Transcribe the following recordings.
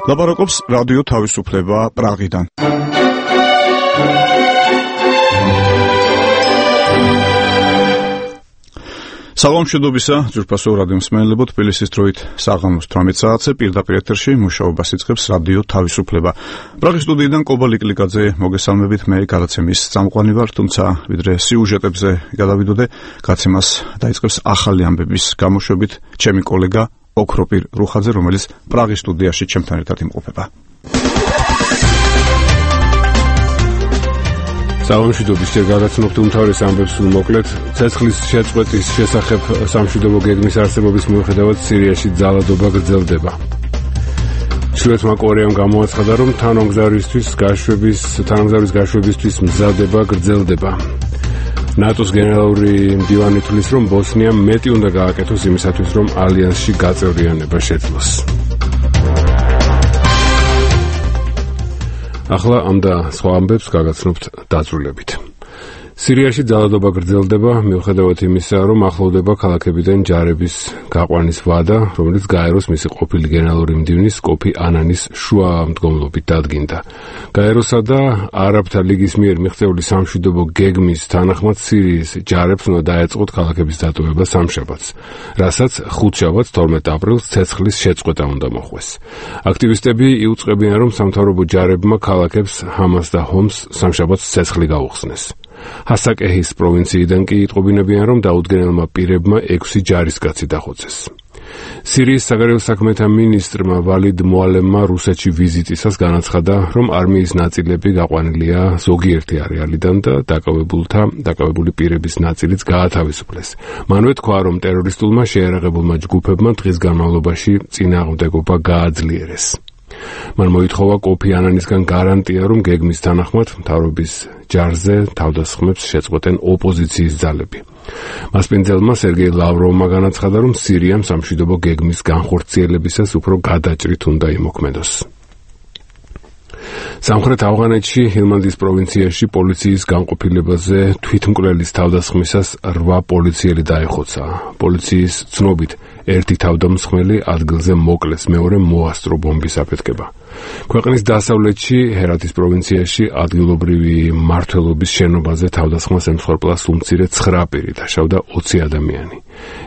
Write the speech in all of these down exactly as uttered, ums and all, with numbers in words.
ლაპარაკობს რადიო თავისუფლება პრაღიდან. საღამოშობისა ძვირფასო რადიო მსმენელებო, თბილისის დროით საღამოს თვრამეტ საათზე პირდაპირ ეთერში მუშაობას იწყებს რადიო თავისუფლება. პრაღის სტუდიიდან კობა ლიკლიკაძე მოგესალმებით, მე გადაცემის წამყვანი ვარ, თუმცა ვიდრე სიუჟეტებზე გადავიდოდე, გაცემას დაიწყებს ახალი ამბების გამოშვებით ჩემი კოლეგა ოქროპირ რუხაძე, რომელიც პრაღის სტუდიაში ჩემთან ერთად იმყოფება. სამშვიდობის ჯერ გადაცნობთ უმთავრეს ამბებს მოკლედ. ცეცხლის შეწყვეტის შესახებ სამშვიდობო გეგმის არსებობის მიუხედავად სირიაში ძალადობა გრძელდება. ჩრდილოეთმა კორეამ გამოაცხადა, რომ თანამგზავრისთვის გაშვების თანამგზავრის გაშვებისთვის მზადება გრძელდება. ნატოს გენერალური მდივანი თვლის, რომ ბოსნიამ მეტი უნდა გააკეთოს იმისათვის, რომ ალიანსში გაწევრიანება შეძლოს. ახლა ამ და სხვა ამბებს გაგაცნობთ დაწვრილებით. სირიაში ძალადობა გრძელდება, მიუხედავად იმისა, რომ ახლოვდება ქალაქებიდან ჯარების გაყვანის ვადა, რომელიც გაეროს მისი ყოფილი გენერალური მდივნის კოფი ანანის შუამდგომლობით დადგინდა. გაეროსა და არაბთა ლიგის მიერ მიღწეული სამშვიდობო გეგმის თანახმად სირიის ჯარებს უნდა დაეწყოთ ქალაქების დატოვება სამშაბათს, რასაც ხუთშაბათს თორმეტ აპრილს ცეცხლის შეწყვეტა უნდა მოხვეს. აქტივისტები იუწყებიან, რომ სამთავრობო ჯარებმა ქალაქებს ჰამას და ჰომს სამშაბათს ცეცხლი გაუხსნეს. ჰასაკეჰის პროვინციიდან კი იტყობინებიან, რომ დაუდგენელმა პირებმა ექვსი ჯარისკაცი დახოცეს. სირიის საგარეო საქმეთა მინისტრმა ვალიდ მოალემმა რუსეთში ვიზიტისას განაცხადა, რომ არმიის ნაწილები გაყვანილია ზოგიერთი არეალიდან და დაკავებულთა დაკავებული პირების ნაწილიც გაათავისუფლეს. მანვე თქვა, რომ ტერორისტულმა შეერაღებულმა ჯგუფებმა დღის განმავლობაში წინააღმდეგობა გააძლიერეს. მან მოითხოვა კოფი ანანისგან გარანტია, რომ გეგმის თანახმად მთავრობის ჯარზე თავდასხმებს შეწყვეტენ ოპოზიციის ძალები. მასპინძელმა სერგეი ლავროვმა განაცხადა, რომ სირიამ სამშვიდობო გეგმის განხორციელებისას უფრო გადაჭრით უნდა იმოქმედოს. სამხრეთ ავღანეთში ჰილმანდის პროვინციაში პოლიციის განყოფილებაზე თვითმკვლელის თავდასხმისას რვა პოლიციელი დაეხოცა. პოლიციის ცნობით ერთი თავდამსხმელი ადგილზე მოკლეს, მეორე მოასწრო ბომბის აფეთქება. ქვეყნის დასავლეთში ჰერათის პროვინციაში ადგილობრივი მმართველობის შენობაზე თავდასხმას ემსხვერპლა სულ ცხრა პირი, დაშავდა ოცი ადამიანი.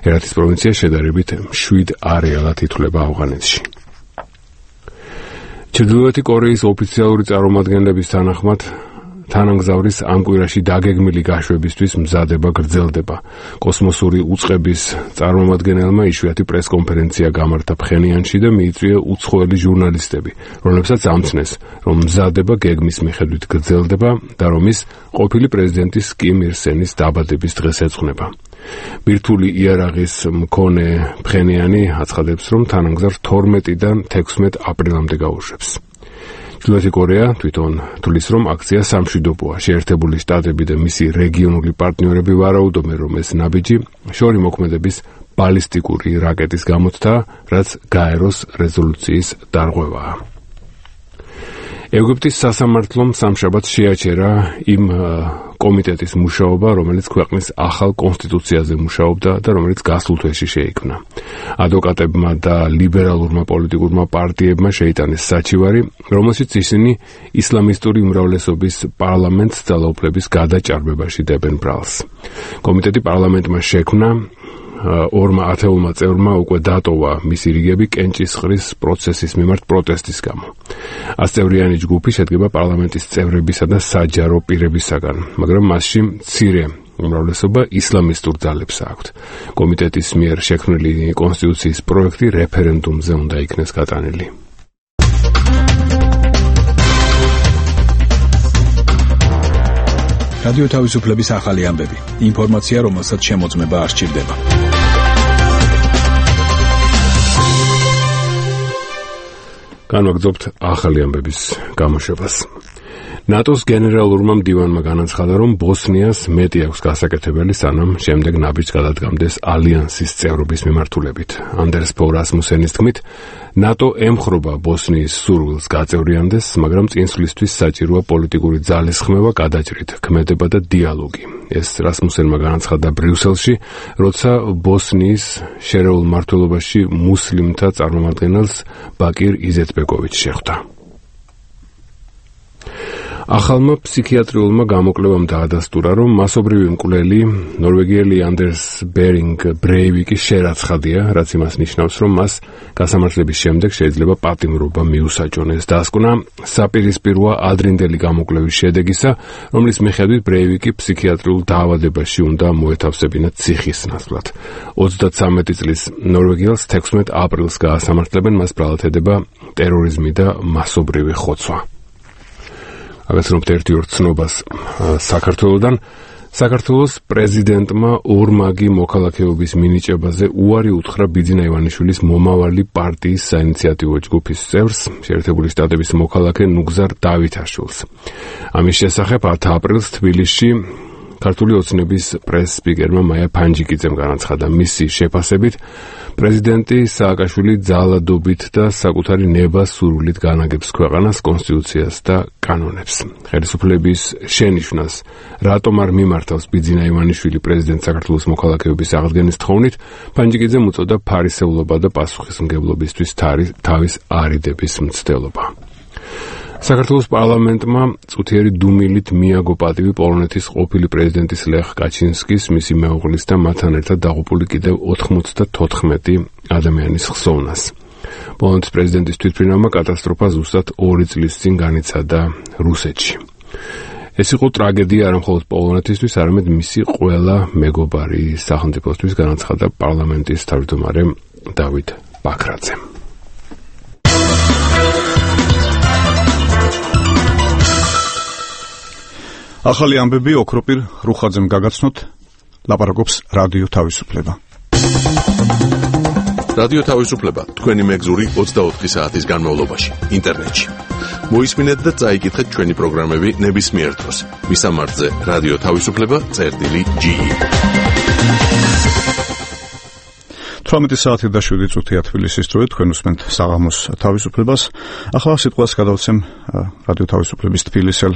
ჰერათის პროვინცია შედარებით მშვიდ არეალად ითვლება ავღანეთში. ჩრდილოეთი კორეის ოფიციალური წარმომადგენლების თანახმად თანამგზავრის ამ კვირაში დაგეგმილი გაშვებისთვის მზადება გრძელდება. კოსმოსური უწყების წარმომადგენელმა იშვიათი პრესკონფერენცია გამართა ფხენიანში და მიიწვია უცხოელი ჟურნალისტები, რომლებსაც ამცნეს, რომ მზადება გეგმის მიხედვით გრძელდება და რომ ის ყოფილი პრეზიდენტის კიმ ირ სენის დაბადების დღეს ეძღვნება. ბირთვული იარაღის მქონე ფხენიანი აცხადებს, რომ თანამგზავრს თორმეტიდან თექვსმეტ აპრილამდე გაუშვებს. ჩრდილოეთი კორეა თვითონ თვლის, რომ აქცია სამშვიდობოა. შეერთებული შტატები და მისი რეგიონული პარტნიორები ვარაუდობენ, რომ ეს ნაბიჯი შორი მოქმედების ბალისტიკური რაკეტის გამოცდა, რაც გაეროს რეზოლუციის დარღვევაა. ეგვიპტის სასამართლომ სამშაბათს შეაჩერა იმ კომიტეტის მუშაობა, რომელიც ქვეყნის ახალ კონსტიტუციაზე მუშაობდა და რომელიც გასულ თვეში შეიქმნა. ადვოკატებმა და ლიბერალურმა პოლიტიკურმა პარტიებმა შეიტანეს საჩივარი, რომელშიც ისინი ისლამისტური უმრავლესობის პარლამენტს ძალაუფლების გადაჭარბებაში დებენ ბრალს. კომიტეტი პარლამენტმა შექმნა, ორმა ათეულმა წევრმა უკვე დატოვა მისი რიგები კენჭისყრის პროცესის მიმართ პროტესტის გამო. ასწევრიანი ჯგუფი შედგება პარლამენტის წევრებისა და საჯარო პირებისაგან, მაგრამ მასში მცირე უმრავლესობა ისლამისტურ ძალებს აქვთ. კომიტეტის მიერ შექმნილი კონსტიტუციის პროექტი რეფერენდუმზე უნდა იქნეს გატანილი. რადიო თავისუფლების ახალი ამბები. ინფორმაცია, რომელსაც შემოწმება არ სჭირდება. განვაგრძობთ ახალი ამბების გამოშვებას. ნატოს გენერალურმა მდივანმა განაცხადა, რომ ბოსნიას მეტი აქვს გასაკეთებელი, სანამ შემდეგ ნაბიჯს გადადგამდეს ალიანსის წევრობის მიმართულებით. ანდერს ფო რასმუსენის თქმით, ნატო ემხრობა ბოსნიის სურვილს გაწევრიანდეს, მაგრამ წინსვლისთვის საჭიროა პოლიტიკური ძალისხმევა, გადაჭრით, ქმედება და დიალოგი. ეს რასმუსენმა განაცხადა ბრიუსელში, როცა ბოსნიის შერეულ მმართველობაში მუსლიმთა წარმომადგენელს ბაკირ იზეტბეკოვიჩს შეხვდა. ახალმა ფსიქიატრიულმა გამოკვლევამ დაადასტურა, რომ მასობრივი მკვლელი ნორვეგიელი ანდერს ბერინგ ბრეივიკის შერაცხადია, რაც იმას ნიშნავს, რომ მას გასამართლების შემდეგ შეიძლება პატიმრობა მიუსაჯონ. ეს დასკვნა საპირისპიროა ადრინდელი გამოკვლევის შედეგისა, რომლის მიხედვით ბრეივიკი ფსიქიატრიულ დაავადებაში უნდა მოეთავსებინა ციხის ნაცვლად. ოცდათსამეტი წლის ნორვეგიელს თექვსმეტ აპრილს გაასამართლებენ, მას ბრალათედება ტერორიზმი და მასობრივი ხოცვა. აგაცნობთ ერთი ორ ცნობას საქართველოდან. საქართველოს პრეზიდენტმა ორმაგი მოქალაქეობის მინიჭებაზე უარი უთხრა ბიძინა ივანიშვილის მომავალი პარტიის საინიციატივო ჯგუფის წევრს, შეერთებული შტატების მოქალაქე ნუგზარ დავითაშვილს. ამის შესახებ ათი აპრილს თბილისში ქართული ოცნების პრეს-სპიკერმა მაია ფანჯიკიძემ განაცხადა, მისი შეფასებით პრეზიდენტი სააკაშვილი ძალადობით და საკუთარი ნება-სურვილით განაგებს ქვეყანას, კონსტიტუციას და კანონებს. ხელისუფლების შენიშვნას რატომ არ მიმართავს ბიძინა ივანიშვილი პრეზიდენტ საქართველოს მოქალაქეობის აღდგენის თხოვნით, ფანჯიკიძემ უწოდა ფარისევლობა და პასუხისმგებლობისთვის თავის არიდების მცდელობა. საქართველოს პარლამენტმა წუთიერი დუმილით მიაგო პატივი პოლონეთის ყოფილი პრეზიდენტის ლეხ კაჩინსკის, მისი მეუღლის და მათთან ერთად დაღუპული კიდევ ოთხმოცდათოთხმეტი ადამიანის ხსოვნას. პოლონეთის პრეზიდენტის თვითმფრინავმა კატასტროფა ზუსტად ორი წლის წინ განიცადა რუსეთში. ეს იყო ტრაგედია არა მხოლოდ პოლონეთისთვის, არამედ მისი ყველა მეგობარი სახელმწიფოსთვის, განაცხადა პარლამენტის თავმჯდომარე დავით ბაქრაძე. ახალი ამბები ოქროპირ რუხაძემ გაგაცნოთ, ლაპარაკობს რადიო თავისუფლება. რადიო თავისუფლება თქვენი მეგზური ოცდაოთხი საათის განმავლობაში ინტერნეტში. მოისმინეთ და წაიკითხეთ ჩვენი პროგრამები ნებისმიერ დროს. მისამართზე რადიო თავისუფლება წერტილი ჯი. თვრამეტი საათი და შვიდი წუთია თბილისის დროით, თქვენ უსმენთ საღამოს თავისუფლებას. ახლა სიტყვას გადავცემ რადიო თავისუფლების თბილისელ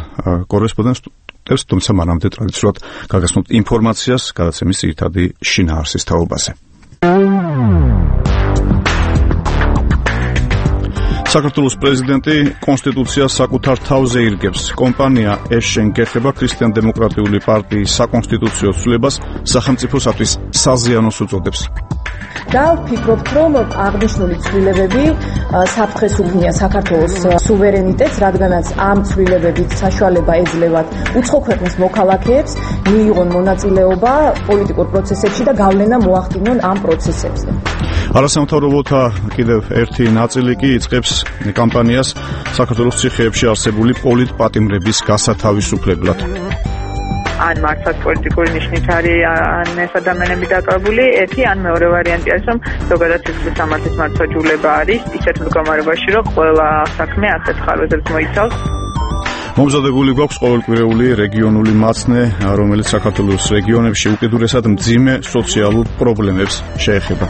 კორესპონდენტს, თუმცა მანამდე ტრადიციულად გაგაცნობთ ინფორმაციას გადაცემის ძირითადი შინაარსის თაობაზე. საქართველოს პრეზიდენტი კონსტიტუციას საკუთარ თავზე ირგებს. კომპანია ეშენ გეხება ქრისტიან-დემოკრატიული პარტიის საკონსტიტუციო ცვლილებას სახელმწიფოსათვის საზიანოს უწოდებს. და ვფიქრობთ, რომ აღნიშნული ცვლილებები საფრთხეს უქმნიან საქართველოს სუვერენიტეტს, რადგანაც ამ ცვლილებებით საშუალება ეძლევათ უცხო ქვეყნის მოქალაქეებს მიიღონ მონაწილეობა პოლიტიკურ პროცესებში და გავლენა მოახდინონ ამ პროცესებზე. არასამთავრობოთა კიდევ ერთი ნაწილი კი იწყებს კამპანიას საქართველოს ციხეებში არსებული პოლიტპატიმრების გასათავისუფლებლად. ან მართლაც პოლიტიკური ნიშნით არის ან ეს ადამიანები დაკავებული, ერთი ან მეორე ვარიანტი არის, რომ ზოგადად სიცოცხლის სამართლის მართლმსაჯულება არის ისეთ მდგომარეობაში, რომ ყველა საქმე ასეთ ხარვეზებს მოიცავს. მომზადებული გვაქვს ყოველკვირეული რეგიონული მაცნე, რომელიც საქართველოს რეგიონებში უკიდურესად მძიმე სოციალურ პრობლემებს შეეხება.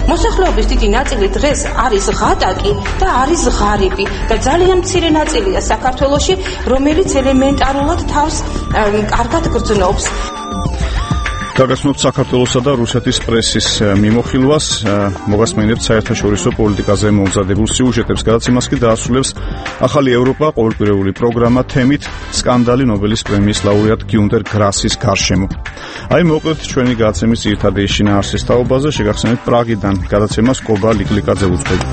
მოსახლეობის დიდი ნაწილი დღეს არის ღატაკი და არის ღარიბი და ძალიან მცირე ნაწილია საქართველოში, რომელიც ელემენტარულად თავს კარგად გრძნობს. გაგაცნობთ საქართველოსა და რუსეთის პრესის მიმოხილვას, მოგასმენებთ საერთაშორისო პოლიტიკაზე მომზადებულ სიუჟეტებს, გადაც იმას კი დაასრულებს ახალი ევროპა ყოველკვირეული პროგრამა თემით სკანდალი ნობელის პრემიის ლაურეატ გიუნტერ გრასის გარშემო. აი მოკლედ ჩვენი გადაცემის ძირითადი შინაარსის თაობაზე შეგახსენებთ პრაღიდან გადაცემას კობა ლიკლიკაძე უძღვება.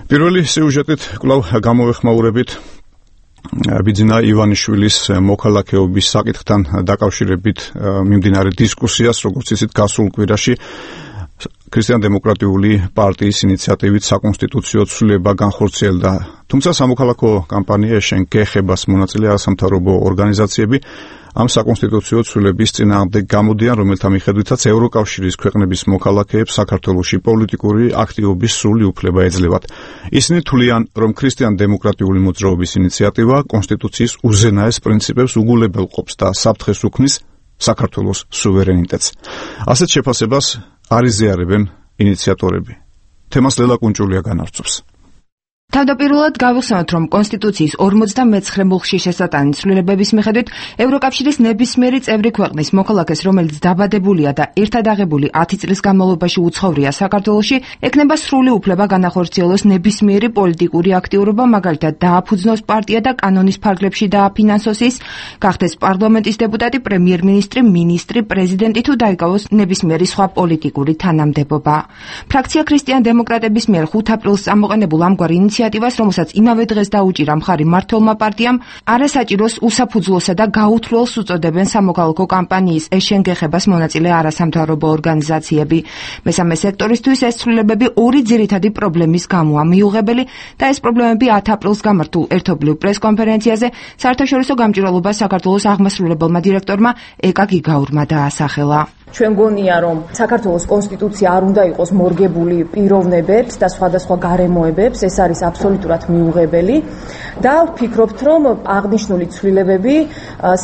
პირველი სიუჟეტით კვლავ გამოვეხმაურებით ბიძინა ივანიშვილის მოქალაქეობის საკითხთან დაკავშირებით მიმდინარე დისკუსიას, როგორც იცით, გასულ კვირაში ქრისტიან-დემოკრატიული პარტიის ინიციატივით საკონსტიტუციო ცვლილება განხორციელდა. თუმცა სამოქალაქო კამპანია შენ გეხებას მონაწილე არასამთავრობო ორგანიზაციები ამ საკონსტიტუციო ცვლილების წინააღმდეგ გამოდიან, რომელთა მიხედვითაც ევროკავშირის ქვეყნების მოქალაქეებს საქართველოში პოლიტიკური აქტივობის სრული უფლება ეძლევათ. ისინი თვლიან, რომ ქრისტიან-დემოკრატიული მოძრაობის ინიციატივა კონსტიტუციის უზენაეს პრინციპებს უგულებელყოფს და საფრთხეს უქმნის საქართველოს სუვერენიტეტს. ასეთ შეფასებას არ იზიარებენ ინიციატორები. თემას ლელა კუნჭულია განარწევს. თავდაპირველად გავიხსენოთ, რომ კონსტიტუციის ორმოცდამეცხრე მუხში შესატანი ცვლილებების მიხედვით ევროკავშირის ნებისმიერი წევრი ქვეყნის მოქალაქეს, რომელიც დაბადებულია და ერთად აღებული ათი წლის განმავლობაში უცხოვრია საქართველოში, ექნება სრული უფლება განახორციელოს ნებისმიერი პოლიტიკური აქტიურობა, მაგალითად დააფუძნოს პარტია და კანონის ფარგლებში დააფინანსოს ის, გახდეს პარლამენტის დეპუტატი, პრემიერ-მინისტრი, მინისტრი, პრეზიდენტი თუ დაიკავოს ნებისმიერი სხვა პოლიტიკური თანამდებობა. ფრაქცია ქრისტიან-დემოკრატების მიერ ხუთ აპრილს წამოყენებულ ამგვარ ინიციატივას, რომელსაც იმავე დღეს დაუჭირა მხარი მმართველმა პარტიამ, არასაჭიროს, უსაფუძვლოსა და გაუთვლელს უწოდებენ სამოქალაქო კამპანიის ეშენ გეხებას მონაწილე არასამთავრობო ორგანიზაციები. მესამე სექტორისთვის ეს ცვლილებები ორი ძირითადი პრობლემის გამოა მიუღებელი და ეს პრობლემები ათი აპრილს გამართულ ერთობლივ პრესკონფერენციაზე საერთაშორისო გამჭვირვალობა საქართველოს აღმასრულებელმა დირექტორმა ეკა გიგაურმა დაასახელა. ჩვენ გონია, რომ საქართველოს კონსტიტუცია არ უნდა იყოს მორგებული პიროვნებებს და სხვადასხვა გარემოებებს, ეს არის აბსოლუტურად მიუღებელი და ვფიქრობთ, რომ აღნიშნული ცვლილებები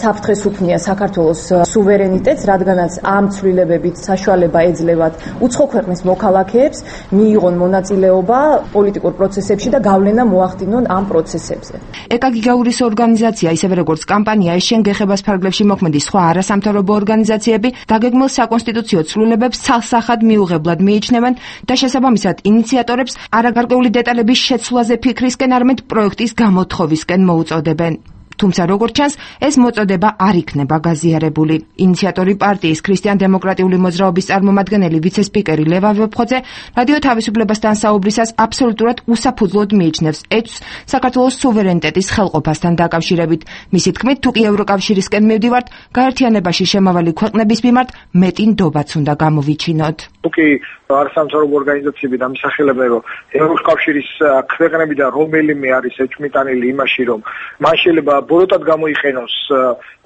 საფრთხეს უქმნია საქართველოს სუვერენიტეტს, რადგანაც ამ ცვლილებებით საშუალება ეძლევათ უცხო ქვეყნის მოქალაქეებს მიიღონ მონაწილეობა პოლიტიკურ პროცესებში და გავლენა მოახდინონ ამ პროცესებზე. ეკა გიგაურის ორგანიზაცია, ისევე როგორც კამპანია ეშენ გეხებას ფარგლებში მოქმედი სხვა არასამთავრობო ორგანიზაციები დაგეგმილ საკონსტიტუციო ცვლილებებს ცალსახად მიუღებლად მიიჩნევენ და შესაბამისად ინიციატორებს არაგარკვეული დეტალების შეცვლაზე ფიქრისკენ, არამედ პროექტის გამოთხოვისკენ მოუწოდებენ. თუმცა როგორც ჩანს, ეს მოწოდება არ იქნება გაზიარებული. ინიციატორი პარტიის ქრისტიან-დემოკრატიული მოძრაობის წარმომადგენელი ვიცე-სპიკერი ლევან ვეფხოძე რადიო თავისუფლებასთან საუბრისას აბსოლუტურად უსაფუძვლოდ მიიჩნევს ეჭვს საქართველოს სუვერენიტეტის ხელყოფასთან დაკავშირებით. მისი თქმით, თუ კი ევროკავშირისკენ მივდივართ, გაერთიანებაში შემავალი ქვეყნების მიმართ მეტი ნდობაც უნდა გამოვიჩინოთ. თუ კი არასამთავრობო ორგანიზაციები დამისახელებენ, რომ ევროკავშირის ქვეყნებიდან რომელიმე არის ეჭვმიტანილი იმაში, რომ მან შეიძლება ბოროტად გამოიყენოს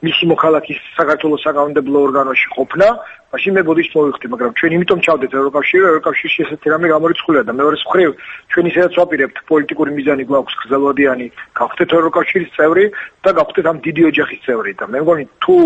მისი მოქალაქის საქართველოს საკანონმდებლო ორგანოში ყოფნა, მაშინ მე ბოდიშს მოვიხდი, მაგრამ ჩვენ იმიტომ ჩავდეთ ევროკავშირში, ევროკავშირში ესეთი რამე გამორიცხულია და მეორე მხრივ ჩვენ ისედაც ვაპირებთ პოლიტიკური მიზანი გვაქვს გრძელვადიანი, გავხდეთ ევროკავშირის წევრი და გავხდეთ ამ დიდი ოჯახის წევრი და მე მგონი თუ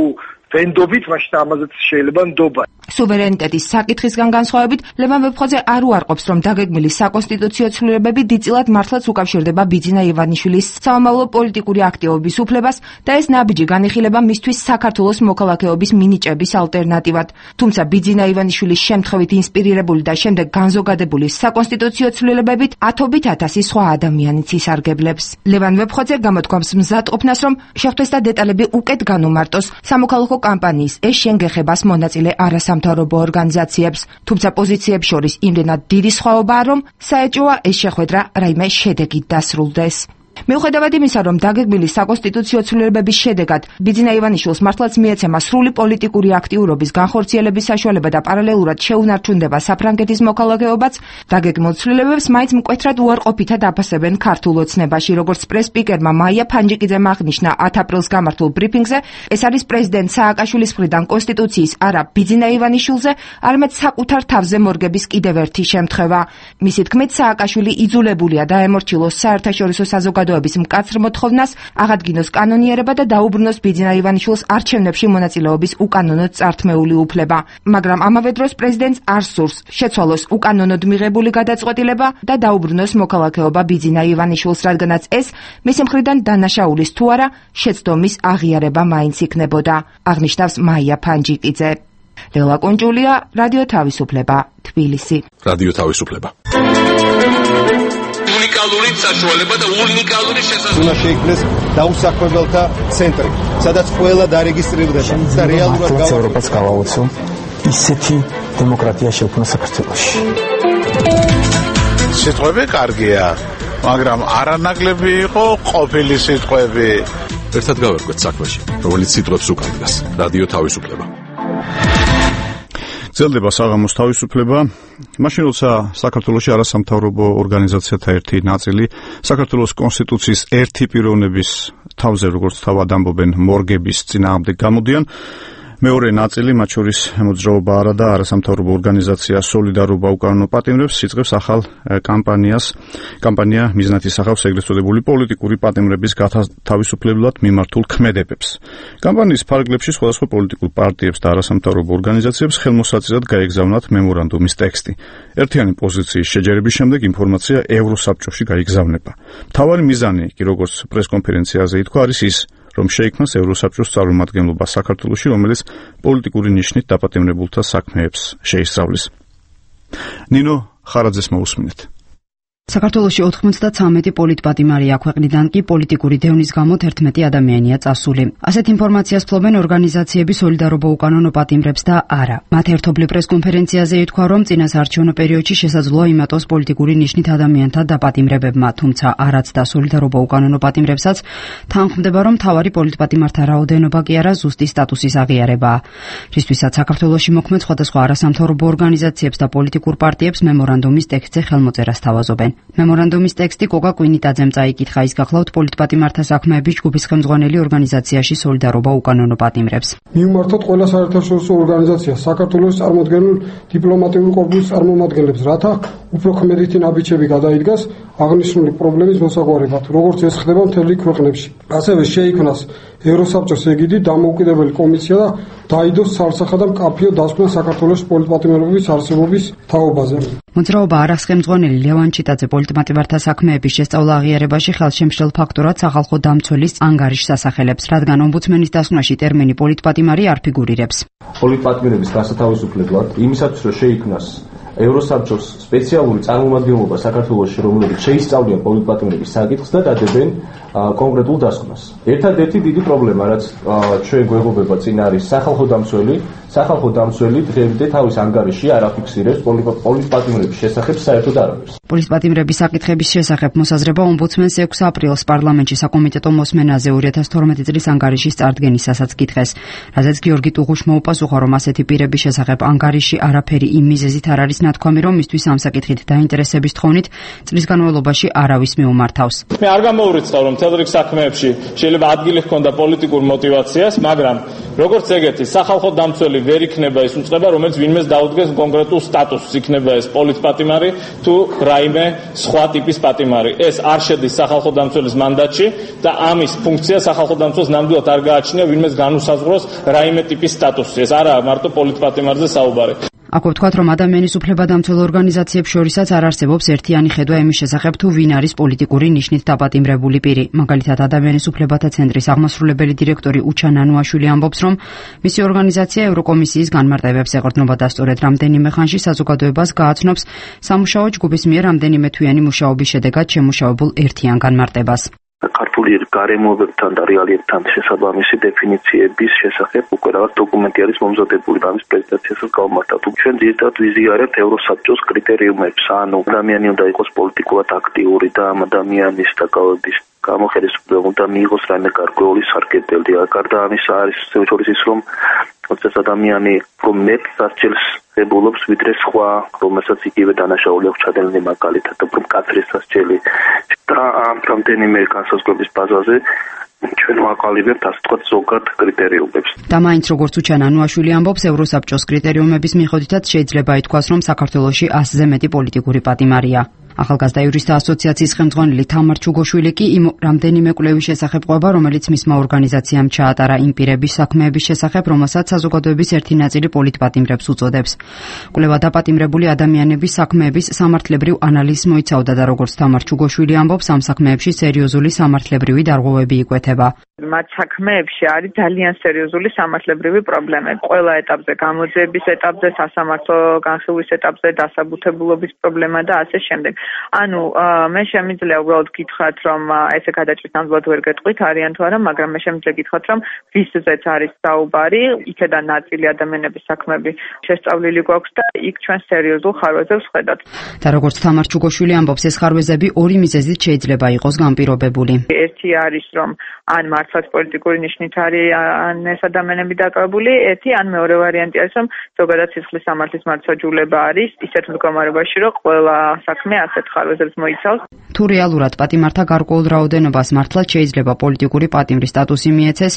ვენდობით, მაშინ ამაზეც შეიძლება ნდობა. სუვერენიტეტის საკითხისგან განსხვავებით, ლევან ვეფხოძე არ უარყოფს, რომ დაგეგმილი საკონსტიტუციო ცვლილებები დიდწილად მართლაც უკავშირდება ბიძინა ივანიშვილის სამომავლო პოლიტიკური აქტივობის უფლებას და ეს ნაბიჯი განიხილება მისთვის საქართველოს მოქალაქეობის მინიჭების ალტერნატივად. თუმცა ბიძინა ივანიშვილის შემთხვევით ინსპირირებული და შემდეგ განზოგადებული საკონსტიტუციო ცვლილებებით ათობით ათასი სხვა ადამიანიც ისარგებლებს. ლევან ვეფხოძე გამოთქვამს მზად ყოფნას, რომ შეხვდეს და დეტალები უკეთ განუმარტოს სამოქალაქო კამპანიის ეშენ გეხებას მონაწილე არასამთავრობო ორგანიზაციებს, თუმცა პოზიციებს შორის იმდენად დიდი სხვაობაა, რომ საეჭვოა ეს შეხვედრა რაიმე შედეგით დასრულდეს. მიუხედავად იმისა, რომ დაგეგმილი საკონსტიტუციო ცვლილებების შედეგად ბიძინა ივანიშვილს მართლაც მიეცემა სრული პოლიტიკური აქტიურობის განხორციელების საშუალება და პარალელურად შეუნარჩუნდება საფრანგეთის მოქალაქეობაც, დაგეგმილ ცვლილებებს მაინც მკვეთრად უარყოფითად აფასებენ ქართულ ოცნებაში, როგორც პრეს-სპიკერმა მაია ფანჯიკიძემ აღნიშნა ათი აპრილს გამართულ ბრიფინგზე, ეს არის პრეზიდენტ სააკაშვილის მხრიდან კონსტიტუციის არა ბიძინა ივანიშვილზე, არამედ საკუთარ თავზე მორგების კიდევ ერთი შემთხვევა. მისი თქმით, სააკაშვილი იძულებულია დაემორჩილოს საერთაშორისო საზოგადოების მკაცრ მოთხოვნას, აღადგინოს კანონიერება და დაუბრუნოს ბიძინა ივანიშვილს არჩევნებში მონაწილეობის უკანონოდ წართმეული უფლება. მაგრამ ამავე დროს პრეზიდენტს არ სურს შეცვალოს უკანონოდ მიღებული გადაწყვეტილება და დაუბრუნოს მოქალაქეობა ბიძინა ივანიშვილს, რადგანაც ეს მისი მხრიდან დანაშაულის თუ არა შეცდომის აღიარება მაინც იქნებოდა, აღნიშნავს მაია ფანჯიკიძე. ლელა კუნჭულია, რადიო თავისუფლება, თბილისი. რადიო თავისუფლება. უნიკალური საშუალება და უნიკალური შესაძლებლობა. უნდა შეიქმნეს დაუსაქმებელთა ცენტრი, სადაც ყველა დარეგისტრირდება და რეალურად ევროპას გავაოცო ისეთი დემოკრატია შექმნა საქართველოში. სიტყვები კარგია, მაგრამ არანაკლები იყო ყოფილი სიტყვები. ერთად გავერკვეთ საქმეში, რომელიც სიტყვებს უკან დგას. რადიო თავისუფლება. გრძელდება საღამოს თავისუფლება. მაშინ როცა საქართველოში არასამთავრობო ორგანიზაციათა ერთი ნაწილი საქართველოს კონსტიტუციის ერთი პიროვნების თავზე, როგორც თავად ამბობენ, მორგების წინააღმდეგ გამოდიან, მეორე ნაწილი, მათ შორის მოძრაობა არა და არასამთავრობო ორგანიზაცია სოლიდარობა უკანონო პატიმრებს იწყებს ახალ კამპანიას. კამპანია მიზნად ისახავს ეგრეთ წოდებული პოლიტიკური პატიმრების გათავისუფლებლად მიმართულ ქმედებებს. კამპანიის ფარგლებში სხვადასხვა პოლიტიკურ პარტიებს და არასამთავრობო ორგანიზაციებს ხელმოსაწირად გაეგზავნათ მემორანდუმის ტექსტი. ერთიანი პოზიციის შეჯერების შემდეგ ინფორმაცია ევროსაბჭოში გაიგზავნება. მთავარი მიზანი კი, როგორც პრესკონფერენციაზე ითქვა, არის ის, რომ შეიქმნას ევროსაბჭოს წარმომადგენლობა საქართველოში, რომელიც პოლიტიკური ნიშნით დაპატიმრებულთა საქმეებს შეისწავლის. ნინო ხარაძეს მოусმინეთ. საქართველოში ოთხმოცდათრამეტი პოლიტპატიმარია, ქვეყნიდან კი პოლიტიკური დევნის გამო თერთმეტი ადამიანია წასული. ასეთ ინფორმაციას ფლობენ ორგანიზაციები სოლიდარობა უკანონო პატიმრებს და არა. მათ ერთობლივ პრესკონფერენციაზე ითქვა, რომ წინასაარჩევნო პერიოდში შესაძლოა იმატოს პოლიტიკური ნიშნით ადამიანთა დაპატიმრებებმა, თუმცა არაც და სოლიდარობა უკანონო პატიმრებსაც თანხმდება, რომ მთავარი პოლიტპატიმართა რაოდენობა კი არა ზუსტი სტატუსის აღიარებაა. რისთვისაც საქართველოში მოქმედ სხვადასხვა არასამთავრობო ორგანიზაციებს და პოლიტიკურ პარტიებს მემორანდუმის ტექსტზე ხელმოწერა სთავაზობენ. მემორანდუმის ტექსტი კოკა კვინიტაძემ წაიკითხა, ის გახლავთ პოლიტპატიმართა საქმეების ჯგუფის ხელმძღვანელი ორგანიზაციაში სოლიდარობა უკანონო პატიმრებს. მივმართოთ ყველა საერთაშორისო ორგანიზაციას, საქართველოს წარმოდგენილ დიპლომატიური კორპუსის წარმომადგენლებს, რათა უფრო ქმედითი ნაბიჯები გადაიდგას აღნიშნული პრობლემის მოსაგვარებლად, როგორც ეს ხდება მთელი ქვეყნებში. ასევე შეიქმნას ევროსაბჭოს ეგიდით დამოუკიდებელი კომისია და დაიდოს ცალსახა და მკაფიო დასკვნა საქართველოს პოლიტპატიმრების არსებობის თაობაზე. მოძრაობა არახს ხელმძღვანელი ლევან ჩიტაძე პოლიტპატიმართა საქმეების შესწავლა აღიარებაში ხელშემშლელ ფაქტორად სახალხო დამცველის ანგარიშს ასახელებს, რადგან ომბუდსმენის დასკვნაში ტერმინი პოლიტპატიმარი არ ფიგურირებს. პოლიტპატიმრების გასათავისუფლებლად იმისათვის, რომ შეიქმნას ევროსაბჭოს სპეციალური წარმომადგენლობა საქართველოში, რომელიც შეისწავლიან პოლიტპატიმრების საკითხს და დადებენ კონკრეტულ დასკვნას. ერთადერთი დიდი პრობლემა, რაც ჩვენ გვეღობება წინ არის სახალხო დამცველი. სახალხო დამცველი დღემდე თავის ანგარიში არ აფიქსირებს პოლიტპატიმრების შესახებ საერთოდ არავის. პოლიტპატიმრების საკითხების შესახებ მოსაზრება ომბუდსმენს ექვსი აპრილს პარლამენტში საკომიტეტო მოსმენაზე ორი ათას თორმეტი წლის ანგარიშის წარდგენისასაც კითხეს, რაზეც გიორგი ტუღუშმა უპასუხა, რომ ასეთი პირების შესახებ ანგარიში არაფერი იმ მიზეზით არ არის ნათქვამი, რომ მისთვის ამ საკითხით დაინტერესების თხოვნით წლის განმავლობაში არავის მიუმართავს. მე არ გამოურიცხავ, რომ მთელ რიგ საქმეებში შეიძლება ადგილი ჰქონდა პოლიტიკურ мотиваციას, მაგრამ როგორც ეგეთი სახალხო დამცველი ვერ იქნება ის უწყება, რომელიც ვინმეს დაუდგეს კონკრეტულ სტატუსს, იქნება ეს პოლიტპატიმარი თუ რაიმე სხვა ტიპის პატიმარი. ეს არ შედის სახალხო დამცველის მანდატში და ამის ფუნქცია სახალხო დამცველს ნამდვილად არ გააჩნია ვინმეს განუსაზღვროს რაიმე ტიპის სტატუსი. ეს არაა მარტო პოლიტპატიმარზე საუბარი. აქ ვთქვათ, რომ ადამიანის უფლებადამცველ ორგანიზაციებს შორისაც არ არსებობს ერთიანი ხედვა იმის შესახებ, თუ ვინ არის პოლიტიკური ნიშნით დაპატიმრებული პირი. მაგალითად, ადამიანის უფლებათა ცენტრის აღმასრულებელი დირექტორი უჩა ნანუაშვილი ამბობს, რომ მისი ორგანიზაცია ევროკომისიის განმარტებებს ეყრდნობა და სწორედ რამდენიმე ხანში საზოგადოებას გააცნობს სამუშაო ჯგუფის მიერ რამდენიმე თვიანი მუშაობის შედეგად შემუშავებულ ერთიან განმარტებას. ქართული გარემოებებთან და რეალიებთან შესაბამისი დეფინიციების შესახებ უკვე რაღაც დოკუმენტი არის მომზადებული და ამის პრეზენტაციასაც გავმართავთ. ჩვენ ძირითადად ვიზიარებთ ევროსაბჭოს კრიტერიუმებს, ანუ ადამიანი უნდა იყოს პოლიტიკურად აქტიური და ამ ადამიანის დაკავების გამოხელისუფლება უნდა მიიღოს რაიმე გარკვეული სარგებლები. გარდა ამისა არის შორის ის, რომ როდესაც ადამიანი უფრო მეტ სასჯელს ებულობს ვიდრე სხვა, რომელსაც იგივე დანაშაული აქვს ჩადენილი, მაგალითად, უფრო მკაცრი სასჯელი და ამ რამდენიმე განსაზღვრების ბაზაზე ჩვენ ვაყალიბებთ ასე ვთქვათ ზოგად კრიტერიუმებს. და მაინც როგორც უჩა ნანუაშვილი ამბობს, ევროსაბჭოს კრიტერიუმების მიხედვითაც შეიძლება ითქვას, რომ საქართველოში ასზე მეტი პოლიტიკური პატიმარია. ახალგაზრდა იურისტთა ასოციაციის ხელმძღვანელი თამარ ჩუგოშვილი კი იმ რამდენიმე კვლევის შესახებ ყვება, რომელიც მისმა ორგანიზაციამ ჩაატარა იმ პირების საქმეების შესახებ, რომელსაც საზოგადოების ერთი ნაწილი პოლიტპატიმრებს უწოდებს. კვლევა დაპატიმრებული ადამიანების საქმეების სამართლებრივ ანალიზს მოიცავდა და როგორც თამარ ჩუგოშვილი ამბობს, ამ საქმეებში სერიოზული სამართლებრივი დარღვევები იკვეთება. მათ საქმეებში არის ძალიან სერიოზული სამართლებრივი პრობლემები. ყველა ეტაპზე, გამოძიების ეტაპზე, სასამართლო განხილვის ეტაპზე, დასაბუთებულობის პრობლემა და ასე შემდეგ. ანუ მე შემიძლია უბრალოდ გითხრათ, რომ ესე გადაჭრის ნამდვილად ვერ გეტყვით არიან თუ არა, მაგრამ მე შემიძლია გითხრათ, რომ ვისზეც არის საუბარი, იქედან ნაწილი ადამიანების საქმეები შესწავლილი გვაქვს და იქ ჩვენ სერიოზულ ხარვეზებს ვხედავთ. და როგორც თამარ ჩუგოშვილი ამბობს, ეს ხარვეზები ორი მიზეზით შეიძლება იყოს განპირობებული. ერთი არის, რომ ან მართლაც პოლიტიკური ნიშნით არის ან ეს ადამიანები დაკავებული, ერთი ან მეორე ვარიანტი არის, რომ ზოგადად სისხლის სამართლის მართლმსაჯულება არის ისეთ მდგომარეობაში, რომ ყველა საქმე ასეთ ხარვეზებს მოიცავს. თუ რეალურად პატიმართა გარკვეულ რაოდენობას მართლაც შეიძლება პოლიტიკური პატიმრის სტატუსი მიეცეს,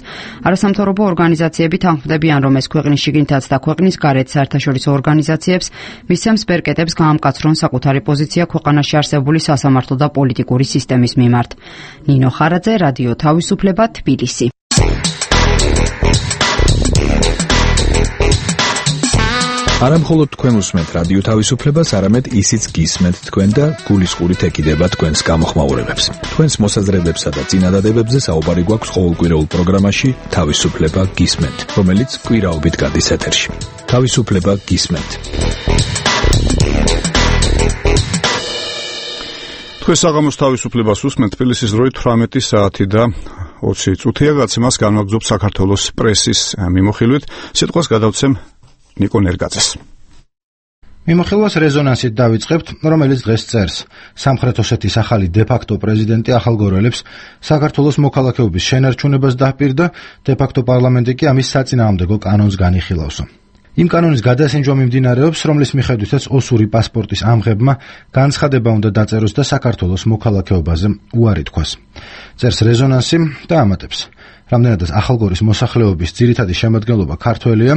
არასამთავრობო ორგანიზაციები თანხმდებიან, რომ ეს ქვეყნის შიგნითაც და ქვეყნის გარეთ საერთაშორისო ორგანიზაციებს მისცემს ბერკეტებს გაამკაცრონ საკუთარი პოზიცია ქვეყანაში არსებული სასამართლო და პოლიტიკური სისტემის მიმართ. ნინო ხარაძე, რადიო თავისუფლება, თბილისი. არა მხოლოდ თქვენ უსმენთ რადიო თავისუფლებას, არამედ ისიც გისმენთ თქვენ და გულისყურით ეკიდება თქვენს გამოხმაურებებს. თქვენს მოსაზრებებსა და წინადადებებზე საუბარი გვაქვს ყოველკვირეულ პროგრამაში თავისუფლება გისმენთ, რომელიც კვირაობით გადის ეთერში. თავისუფლება გისმენთ. თქვენ საღამოს თავისუფლებას უსმენთ, თბილისის დროით თვრამეტი საათი და ოცი წუთია. გაცემას განვაგრძობ საქართველოს პრესის მიმოხილვით. სიტყვას გადავცემ ნიკო ნერგაძეს. მიმოხილვას რეზონანსით დავიწყებთ, რომელიც დღეს წერს. სამხრეთ ოსეთის ახალი დე-ფაქტო პრეზიდენტი ახალგორელებს საქართველოს მოქალაქეობის შენარჩუნებას დაჰპირდა, დე-ფაქტო პარლამენტი კი ამის საწინააღმდეგო კანონს განიხილავსო. იმ კანონის გადასინჯვა მიმდინარეობს, რომლის მიხედვითაც ოსური პასპორტის ამღებმა განცხადება უნდა დაწეროს და საქართველოს მოქალაქეობაზე უარი თქვას. წერს რეზონანსი და ამატებს. რამდენადაც ახალგორის მოსახლეობის ძირითადი შემადგენლობა ქართველია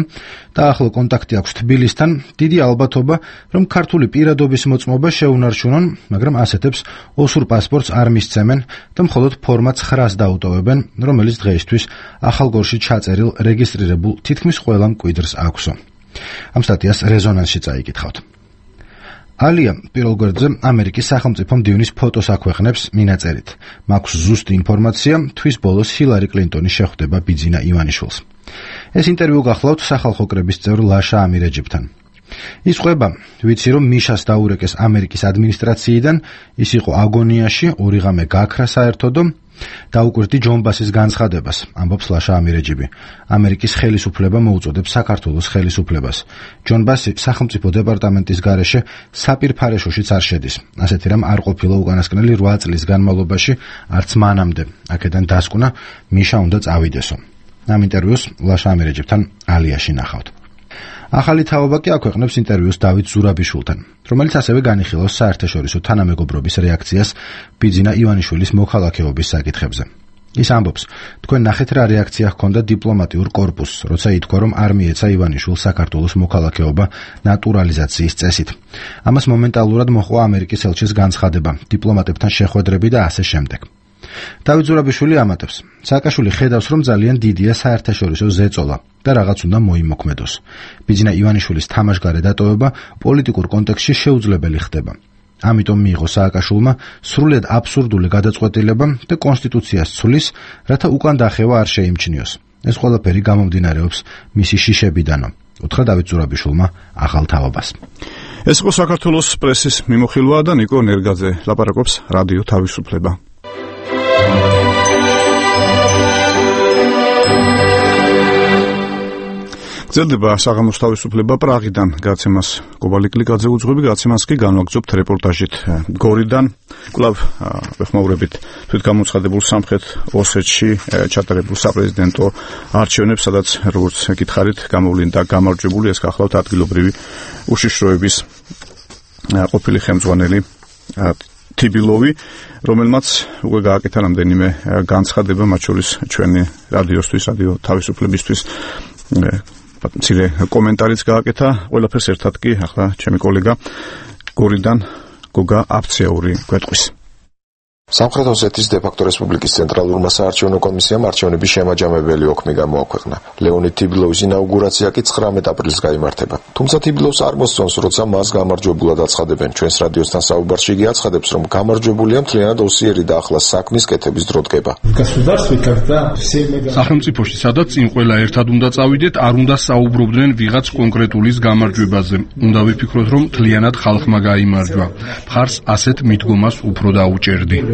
და ახლო კონტაქტი აქვს თბილისთან, დიდი ალბათობა, რომ ქართული პირადობის მოწმობა შეუნარჩუნონ, მაგრამ ასეთებს ოსურ პასპორტს არ მისცემენ და მხოლოდ ფორმა ცხრას დაუტოვებენ, რომელიც დღეისთვის ახალგორში ჩაწერილ რეგისტრირებულ თითქმის ყველა მკვიდრს აქვსო. ამ სტატიას რეზონანსში წაიკითხავთ. ალია პირველ გვერდზე ამერიკის სახელმწიფო მდივნის ფოტოს აქვეყნებს მინაწერით. მაქვს ზუსტი ინფორმაცია, თვის ბოლოს ჰილარი კლინტონის შეხვდება ბიძინა ივანიშვილს. ეს ინტერვიუ გახლავთ სახალხო კრების წევრ ლაშა ამირეჯიბთან. ის ყვება, ვიცი რომ მიშას დაურეკეს ამერიკის ადმინისტრაციიდან, ის იყო აგონიაში, ორი ღამე გაქრა საერთოდო, დაუკვირდი ჯონბასის განცხადებას, ამბობს ლაშა ამირეჯიბი. ამერიკის ხელისუფლება მოუწოდებს საქართველოს ხელისუფლებას. ჯონბასი სახელმწიფო დეპარტამენტის გარეშე საპირფარეშოშიც არ შედის. ასეთი რამ არ ყოფილა უკანასკნელი რვა წლის განმავლობაში, არც მანამდე. აქედან დასკვნა მიშა უნდა წავიდესო. ამ ინტერვიუს ლაშა ამირეჯიბთან ალიაში ნახავთ. ახალი თაობა კი აქვეყნებს ინტერვიუს დავით ზურაბიშვილთან, რომელიც ასევე განიხილავს საერთაშორისო თანამეგობრობის რეაქციას ბიძინა ივანიშვილის მოქალაქეობის საკითხებზე. ის ამბობს, თქვენ ნახეთ რა რეაქცია ჰქონდა დიპლომატიურ კორპუსს, როცა ითქვა, რომ არ მიეცა ივანიშვილს საქართველოს მოქალაქეობა ნატურალიზაციის წესით. ამას მომენტალურად მოჰყვა ამერიკის ელჩის განცხადება, დიპლომატებთან შეხვედრები და ასე შემდეგ. დავით ზურაბიშვილი ამატებს, სააკაშვილი ხედავს, რომ ძალიან დიდია საერთაშორისო ზეწოლა და რაღაც უნდა მოიმოქმედოს. ბიძინა ივანიშვილის თამაშგარე დატოვება პოლიტიკურ კონტექსტში შეუძლებელი ხდება. ამიტომ მიიღო სააკაშვილმა სრულიად აბსურდული გადაწყვეტილება და კონსტიტუციას ცვლის, რათა უკან დახევა არ შეიმჩნიოს. ეს ყველაფერი გამომდინარეობს მისი შიშებიდანო, უთხრა დავით ზურაბიშვილმა ახალ თაობას. ეს იყო საქართველოს პრესის მიმოხილვა და ნიკო ნერგაძე ლაპარაკობს რადიო თავისუფლება. გრძელდება საღამოს თავისუფლება პრაღიდან გაცემას კობალიკლიკაძე უძღვები, გაცემას კი განვაგრძობთ რეპორტაჟით გორიდან. კვლავ ვეხმაურებით თვითგამოცხადებულ სამხრეთ ოსეთში ჩატარებულ საპრეზიდენტო არჩევნებს, სადაც როგორც გითხარით, გამოვლინდა გამარჯვებული ეს გახლავთ ადგილობრივი უშიშროების ყოფილი ხელმძღვანელი თიბილოვი, რომელმაც უკვე გააკეთა რამდენიმე განცხადება, მათ შორის ჩვენი რადიოსთვის, რადიო თავისუფლებისთვის მცირე კომენტარიც გააკეთა. ყველაფერს ერთად კი ახლა ჩემი კოლეგა გორიდან გოგა აფცეური გვეტყვის. სამხრეთ ოსეთის დე-ფაქტო რესპუბლიკის ცენტრალურმა საარჩევნო კომისიამ არჩევნების შემაჯამებელი ოქმი გამოაქვეყნა. ლეონიდ თიბილოვის ინაუგურაცია კი ცხრამეტ აპრილს გაიმართება. თუმცა თიბილოვს არ მოსწონს, როცა მას გამარჯვებულად აცხადებენ. ჩვენს რადიოსთან საუბარში იგი აცხადებს, რომ გამარჯვებულია მთლიანად ოსიერი და ახლა საქმის კეთების დრო დგება. სახელმწიფოში, სადაც წინ ყველა ერთად უნდა წავიდეთ, არ უნდა საუბრობდნენ ვიღაც კონკრეტულის გამარჯვებაზე. უნდა ვიფიქროთ, რომ მთლიანად ხალხმა გაიმარჯვა. მხარს ასეთ მიდგომას უფრო დაუჭერდი.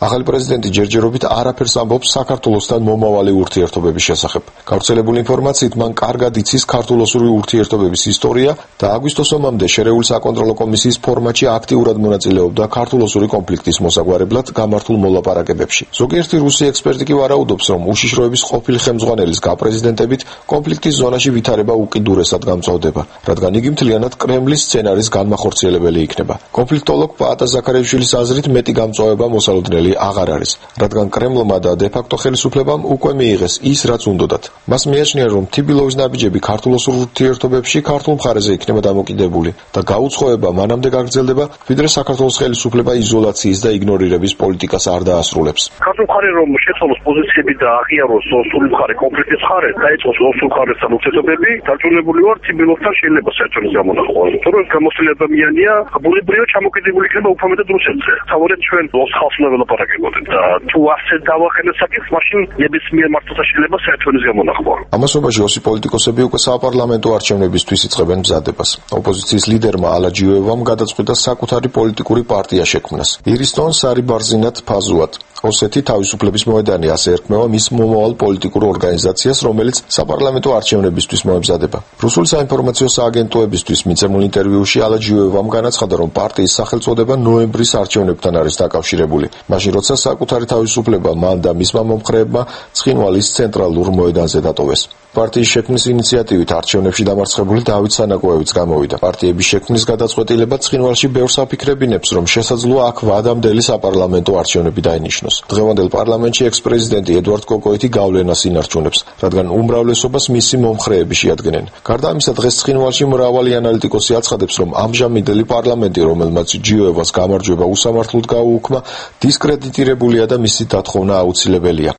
ახალი პრეზიდენტი ჯერჯერობით არაფერს ამბობს საქართველოსთან მომავალი ურთიერთობების შესახებ. გავრცელებული ინფორმაციით მან კარგად იცის ქართულ-ოსური ურთიერთობების ისტორია და აგვისტოს ომამდე შერეული საკონტროლო კომისიის ფორმატში აქტიურად მონაწილეობდა ქართულ-ოსური კონფლიქტის მოსაგვარებლად გამართულ მოლაპარაკებებში. ზოგიერთი რუსი ექსპერტი კი ვარაუდობს, რომ უშიშროების ყოფილი ხელმძღვანელის გაპრეზიდენტებით კონფლიქტის ზონაში ვითარება უკიდურესად გამწვავდება, რადგან იგი მთლიანად კრემლის სცენარის განმახორციელებელი იქნება. კონფლიქტოლოგ პაატა ზაქარიაშვილის აზრით მეტი გამწვავება მოსალოდნელი აღარ არის, რადგან კრემლმა და დე-ფაქტო ხელისუფლებამ უკვე მიიღეს ის, რაც უნდოდათ. მას მიაჩნია, რომ თბილისის ნაბიჯები ქართულ-ოსურ ურთიერთობებში ქართულ მხარეზე იქნება დამოკიდებული და გაუცხოება მანამდე გაგრძელდება, ვიდრე საქართველოს ხელისუფლება იზოლაციის და იგნორირების პოლიტიკას არ დაასრულებს. ქართულ მხარე რომ შეცვალოს პოზიციები და აღიაროს ოსური მხარე კონფლიქტის მხარე, დაიწყოს ოსურ მხარესთან ურთიერთობები, დარწმუნებული ვარ, თბილისთან შეიძლება საერთოდ გამონახოს. თორემ გამოსული ადამიანია, ბუნებრივად ჩამოკიდებული იქნება უფრო მეტად რუსეთზე. თავად ჩვენ ოს ხალხს უნდა ველაპარაკებოდეთ და თუ ასე დავახენოთ საკითხს, მაშინ ნებისმიერ მართლთა შეიძლება საერთოდ გამონახოს. ამასობაში ოსი პოლიტიკოსები უკვე საპარლამენტო არჩევნებისთვის იწყებენ მზადებას. ოპოზიციის ლიდერმა ალაჯიოევამ გადაწყვიტა საკუთარი პოლიტიკური პარტია შექმნას. ირისტონ სარიბარზინად ფაზუად. ოსეთი თავისუფლების მოედანი ასე ერქმევა მის მომავალ პოლიტიკურ ორგანიზაციას, რომელიც საპარლამენტო არჩევნებისთვის მოემზადება. რუსული საინფორმაციო სააგენტოებისთვის მიცემულ ინტერვიუში ალაჯიოევამ განაცხადა, რომ პარტიის სახელწოდება ნოემბრის არჩევნებთან არის დაკავშირებული, მაშინ როცა საკუთარი თავისუფლება მან და მისმა მომხრეებმა ცხინვალის ცენტრალურ მოედანზე დატოვეს. პარტიის შექმნის ინიციატივით არჩევნებში დამარცხებული დავით სანაკოევიც გამოვიდა. პარტიების შექმნის გადაწყვეტილება ცხინვალში ბევრს აფიქრებინებს, რომ შესაძლოა აქ ვადამდელი საპარლამენტო არჩევნები დაინიშნოს. დღევანდელ პარლამენტში ექს-პრეზიდენტი ედვარდ კოკოიტი გავლენას ინარჩუნებს, რადგან უმრავლესობას მისი მომხრეები შეადგენენ. გარდა ამისა, დღეს ცხინვალში მრავალი ანალიტიკოსი აცხადებს, რომ ამჟამინდელი პარლამენტი, რომელმაც ჯიოევას გამარჯვება უსამართლოდ გაუუქმა, დისკრედიტირებულია და მისი დათხოვნა აუცილებელია.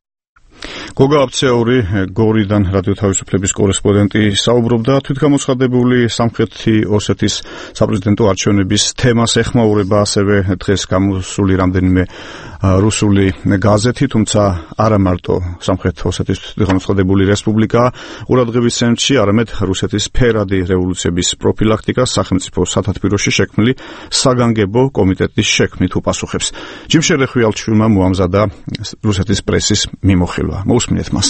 გოგა აფცეური გორიდან რადიო თავისუფლების კორესპონდენტი საუბრობდა თვითგამოცხადებული სამხრეთი ოსეთის საპრეზიდენტო არჩევნების თემას ეხმაურება ასევე დღეს გამოსული რამდენიმე რუსული გაზეთი, თუმცა არა მარტო სამხრეთ ოსეთის თვითგამოცხადებული რესპუბლიკა ყურადღების ცენტრში, არამედ რუსეთის ფერადი რევოლუციების პროფილაქტიკა სახელმწიფო სათათბიროში შექმნილი საგანგებო კომიტეტის შექმნით უპასუხებს. ჯიმშერე ხვალჩვილმა მოამზადა რუსეთის პრესის მიმოხილვა. მოусმინეთ მას.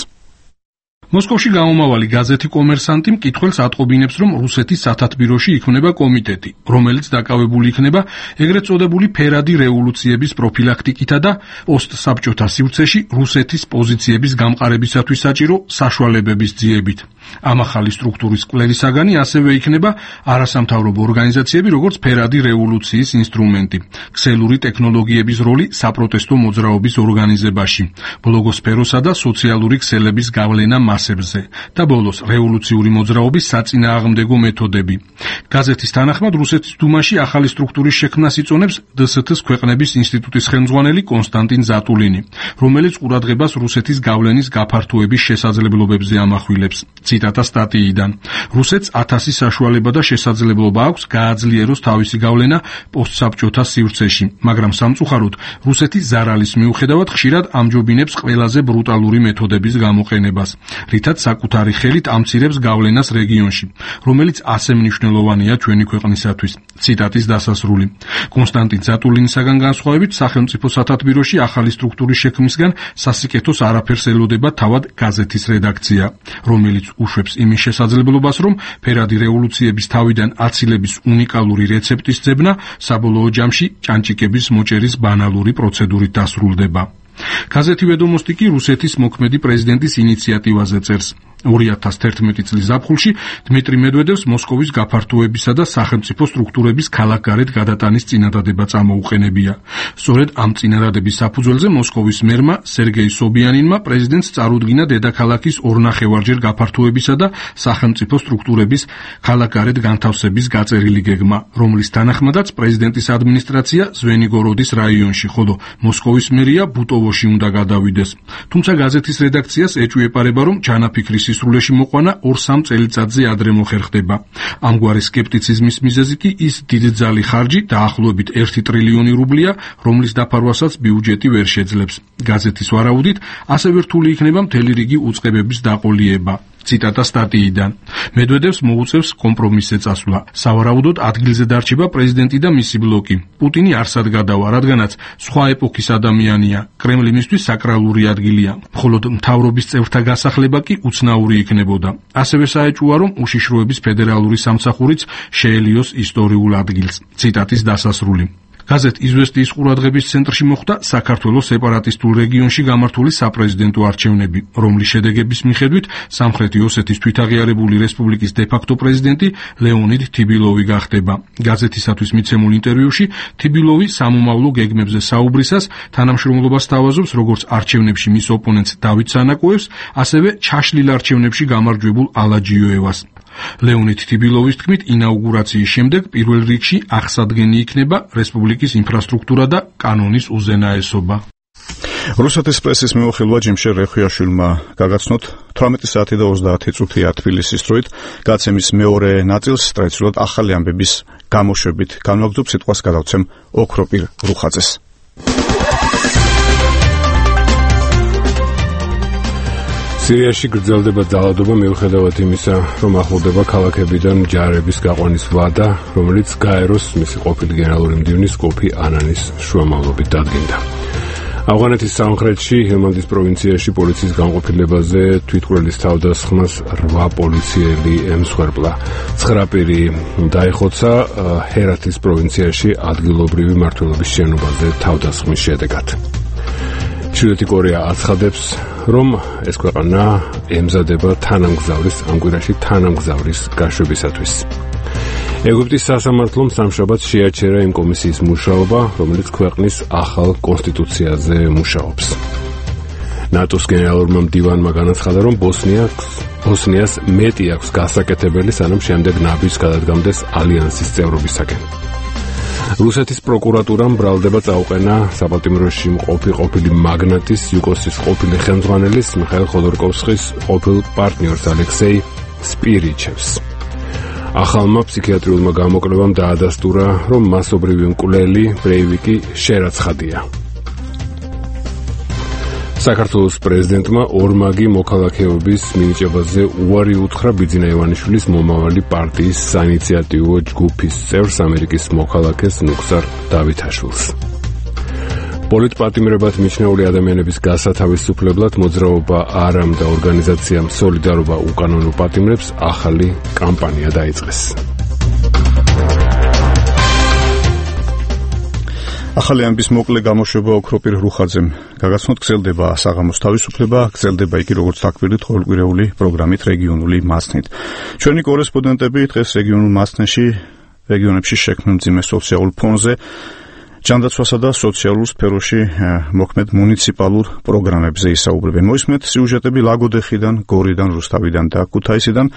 მოსკოვში გამომავალი გაზეთი კომერსანტი მკითხველს ატყობინებს, რომ რუსეთის სათათბიროში იქმნება კომიტეტი, რომელიც დაკავებული იქნება ეგრეთ წოდებული ფერადი რევოლუციების პროფილაქტიკითა და პოსტსაბჭოთა სივრცეში რუსეთის პოზიციების გამყარებისათვის საჭირო საშუალებების ძიებით. ამ ახალი სტრუქტურის კვლევის საგანი ასევე იქნება არასამთავრობო ორგანიზაციები, როგორც ფერადი რევოლუციის ინსტრუმენტი, ქსელური ტექნოლოგიების როლი საპროტესტო მოძრაობის ორგანიზებაში, ბლოგოსფეროსა და სოციალური ქსელების გავლენა მასებზე და ბოლოს რევოლუციური მოძრაობის საწინააღმდეგო მეთოდები. გაზეთის თანახმად რუსეთის დუმაში ახალი სტრუქტურის შექმნას იწონებს დე ეს თე-ს ქვეყნების ინსტიტუტის ხელმძღვანელი კონსტანტინ ზატულინი, რომელიც ყურადღებას რუსეთის გავლენის გაფართოების შესაძლებლობებზე ამახვილებს. ციტატა სტატიიდან. რუსეთს ათასი საშუალება და შესაძლებლობა აქვს გააძლიეროს თავისი გავლენა პოსტსაბჭოთა სივრცეში, მაგრამ სამწუხაროდ რუსეთი ზარალის მიუხედავად ხშირად ამჯობინებს ყველაზე ბრუტალური მეთოდების გამოყენებას, რითაც საკუთარი ხელით ამცირებს გავლენას რეგიონში, რომელიც ასე მნიშვნელოვანია ჩვენი ქვეყნისათვის. ციტატის დასასრული. კონსტანტინ ზატულინისაგან განსხვავებით, სახელმწიფო სათათბიროში ახალი სტრუქტურის შექმნისგან სასიკეთოს არაფერს ელოდება თავად გაზეთის რედაქცია, რომელიც უშვებს იმის შესაძლებლობას, რომ ფერადი რევოლუციების თავიდან აცილების უნიკალური რეცეპტის ძებნა საბოლოო ჯამში ჭანჭიკების მოჭერის ბანალური პროცედურით დასრულდება. გაზეთი ვედომოსტი კი რუსეთის მოქმედი პრეზიდენტის ინიციატივაზე წერს. ორი ათას თერთმეტი წლის ზაფხულში დმიტრი მედვედევს მოსკოვის გაფართოებისა და სახელმწიფო სტრუქტურების ქალაქგარეთ გადატანის წინადადება წამოუყენებია. სწორედ ამ წინადადების საფუძველზე მოსკოვის მერმა სერგეი სობიანინმა პრეზიდენტს წარუდგინა დედაქალაქის ორნახევარჯერ გაფართოებისა და სახელმწიფო სტრუქტურების ქალაქგარეთ განთავსების გაწერილი გეგმა, რომლის თანახმადაც პრეზიდენტის ადმინისტრაცია ზვენიგოროდის რაიონში, ხოლო მოსკოვის მერია ბუტოვოში უნდა გადავიდეს. თუმცა გაზეთის რედაქციას ეჭვიეპარება, რომ ჩანაფიქრის სრულეში მოყვანა ორ-სამ წელიწადზე ადრე მოხერხდება. ამგვარი სკეპტიციზმის მიზეზი კი ის დიდძალი ხარჯი, დაახლოებით ერთი ტრილიონი რუბლია, რომლის დაფარვასაც ბიუჯეტი ვერ შეძლებს. გაზეთის ვარაუდით, ასევე რთული იქნება მთელი რიგი უწყებების დაყოლიება. ციტატა სტატიიდან. მედვედევს მოუწევს კომპრომისზე წასვლა. სავარაუდოდ ადგილზე დარჩება პრეზიდენტი და მისი ბლოკი. პუტინი არსად გადავა, რადგანაც სხვა ეპოქის ადამიანია. კრემლი მისთვის საკრალური ადგილია. მხოლოდ მთავრობის წევრთა გასახლება კი უცნაური იქნებოდა. ასევე საეჭვოა, რომ უშიშროების ფედერალური სამსახურიც შეელიოს ისტორიულ ადგილს. ციტატის დასასრული. გაზეთ „იზვესტიის“ ყურადღების ცენტრში მოხვდა საქართველოს სეპარატისტულ რეგიონში გამართული საპრეზიდენტო არჩევნები, რომლის შედეგების მიხედვით სამხრეთი ოსეთის თვითაღიარებული რესპუბლიკის დე-ფაქტო პრეზიდენტი ლეონიდ თიბილოვი გახდება. გაზეთისათვის მიცემულ ინტერვიუში თიბილოვი სამომავლო გეგმებზე საუბრისას თანამშრომლობას თავაზობს როგორც არჩევნებში მის ოპონენტს დავით სანაკოევს, ასევე ჩაშლილ არჩევნებში გამარჯვებულ ალაჯიოევას. ლეონიდ თიბილოვის თქმით, ინაუგურაციის შემდეგ პირველ რიგში აღსადგენი იქნება რესპუბლიკის ინფრასტრუქტურა და კანონის უზენაესობა. რუსეთის პრესის მეუხილვა ჯიმშერ რეხვიაშვილმა გაგაცნოთ თვრამეტი საათი და ოცდაათი წუთია თბილისის დროით. გაცემის მეორე ნაწილს ტრადიციულად ახალი ამბების გამოშვებით განვაგრძობ, სიტყვას გადავცემ ოქროპირ რუხაძეს. სირიაში გრძელდება ძალადობა მიუხედავად იმისა, რომ ახლოვდება ქალაქებიდან ჯარების გაყვანის ვადა, რომელიც გაეროს მისი ყოფილი გენერალური მდივნის კოფი ანანის შუამავლობით დადგინდა. ავღანეთის სამხრეთში ჰელმანდის პროვინციაში პოლიციის განყოფილებაზე თვითმკვლელის თავდასხმას რვა პოლიციელი ემსხვერპლა. ცხრა პირი დაიხოცა ჰერათის პროვინციაში ადგილობრივი მმართველობის შენობაზე თავდასხმის შედეგად. ჩრდილოეთი კორეა აცხადებს, რომ ეს ქვეყანა ემზადება თანამგზავრის ამ კვირაში თანამგზავრის გაშვებისათვის. ეგვიპტის სასამართლომ სამშაბათს შეაჩერა იმ კომისიის მუშაობა, რომელიც ქვეყნის ახალ კონსტიტუციაზე მუშაობს. ნატოს გენერალურმა მდივანმა განაცხადა, რომ ბოსნიას ბოსნიას მეტი აქვს გასაკეთებელი, სანამ შემდეგ ნაბიჯს გადადგამდეს ალიანსის წევრობისაკენ. რუსეთის პროკურატურამ ბრალდება წაუყენა საპატიმროში მყოფი ყოფილი მაგნატის იუკოსის ყოფილი ხელმძღვანელის მიხაილ ხოდორკოვსკის ყოფილ პარტნიორს ალექსეი სპირიჩევს. ახალმა ფსიქიატრიულმა გამოკვლევამ დაადასტურა, რომ მასობრივი მკვლელი ბრეივიკი შერაცხადია. საქართველოს პრეზიდენტმა ორმაგი მოქალაქეობის მინიჭებაზე უარი უთხრა ბიძინა ივანიშვილის მომავალი პარტიის საინიციატივო ჯგუფის წევრს ამერიკის მოქალაქეს ნუგზარ დავითაშვილს. პოლიტპატიმრებად მიჩნეული ადამიანების გასათავისუფლებლად მოძრაობა არამ და ორგანიზაციამ სოლიდარობა უკანონო პატიმრებს ახალი კამპანია დაიწყეს. ახალი ამბის მოკლე გამოშვება ოქროპირ რუხაძემ გაგაცნოთ. გრძელდება საღამოს თავისუფლება, გრძელდება იგი როგორც დაკვირდით ყოველკვირეული პროგრამით რეგიონული მასნით. ჩვენი კორესპონდენტები დღეს რეგიონულ მასნაში რეგიონებში შექმნილ მძიმე სოციალურ ფონზე ჯანდაცვასა და სოციალურ სფეროში მოქმედ მუნიციპალურ პროგრამებზე ისაუბრებენ. მოისმენთ სიუჟეტები ლაგოდეხიდან, გორიდან, რუსთავიდან და ქუთაისიდან.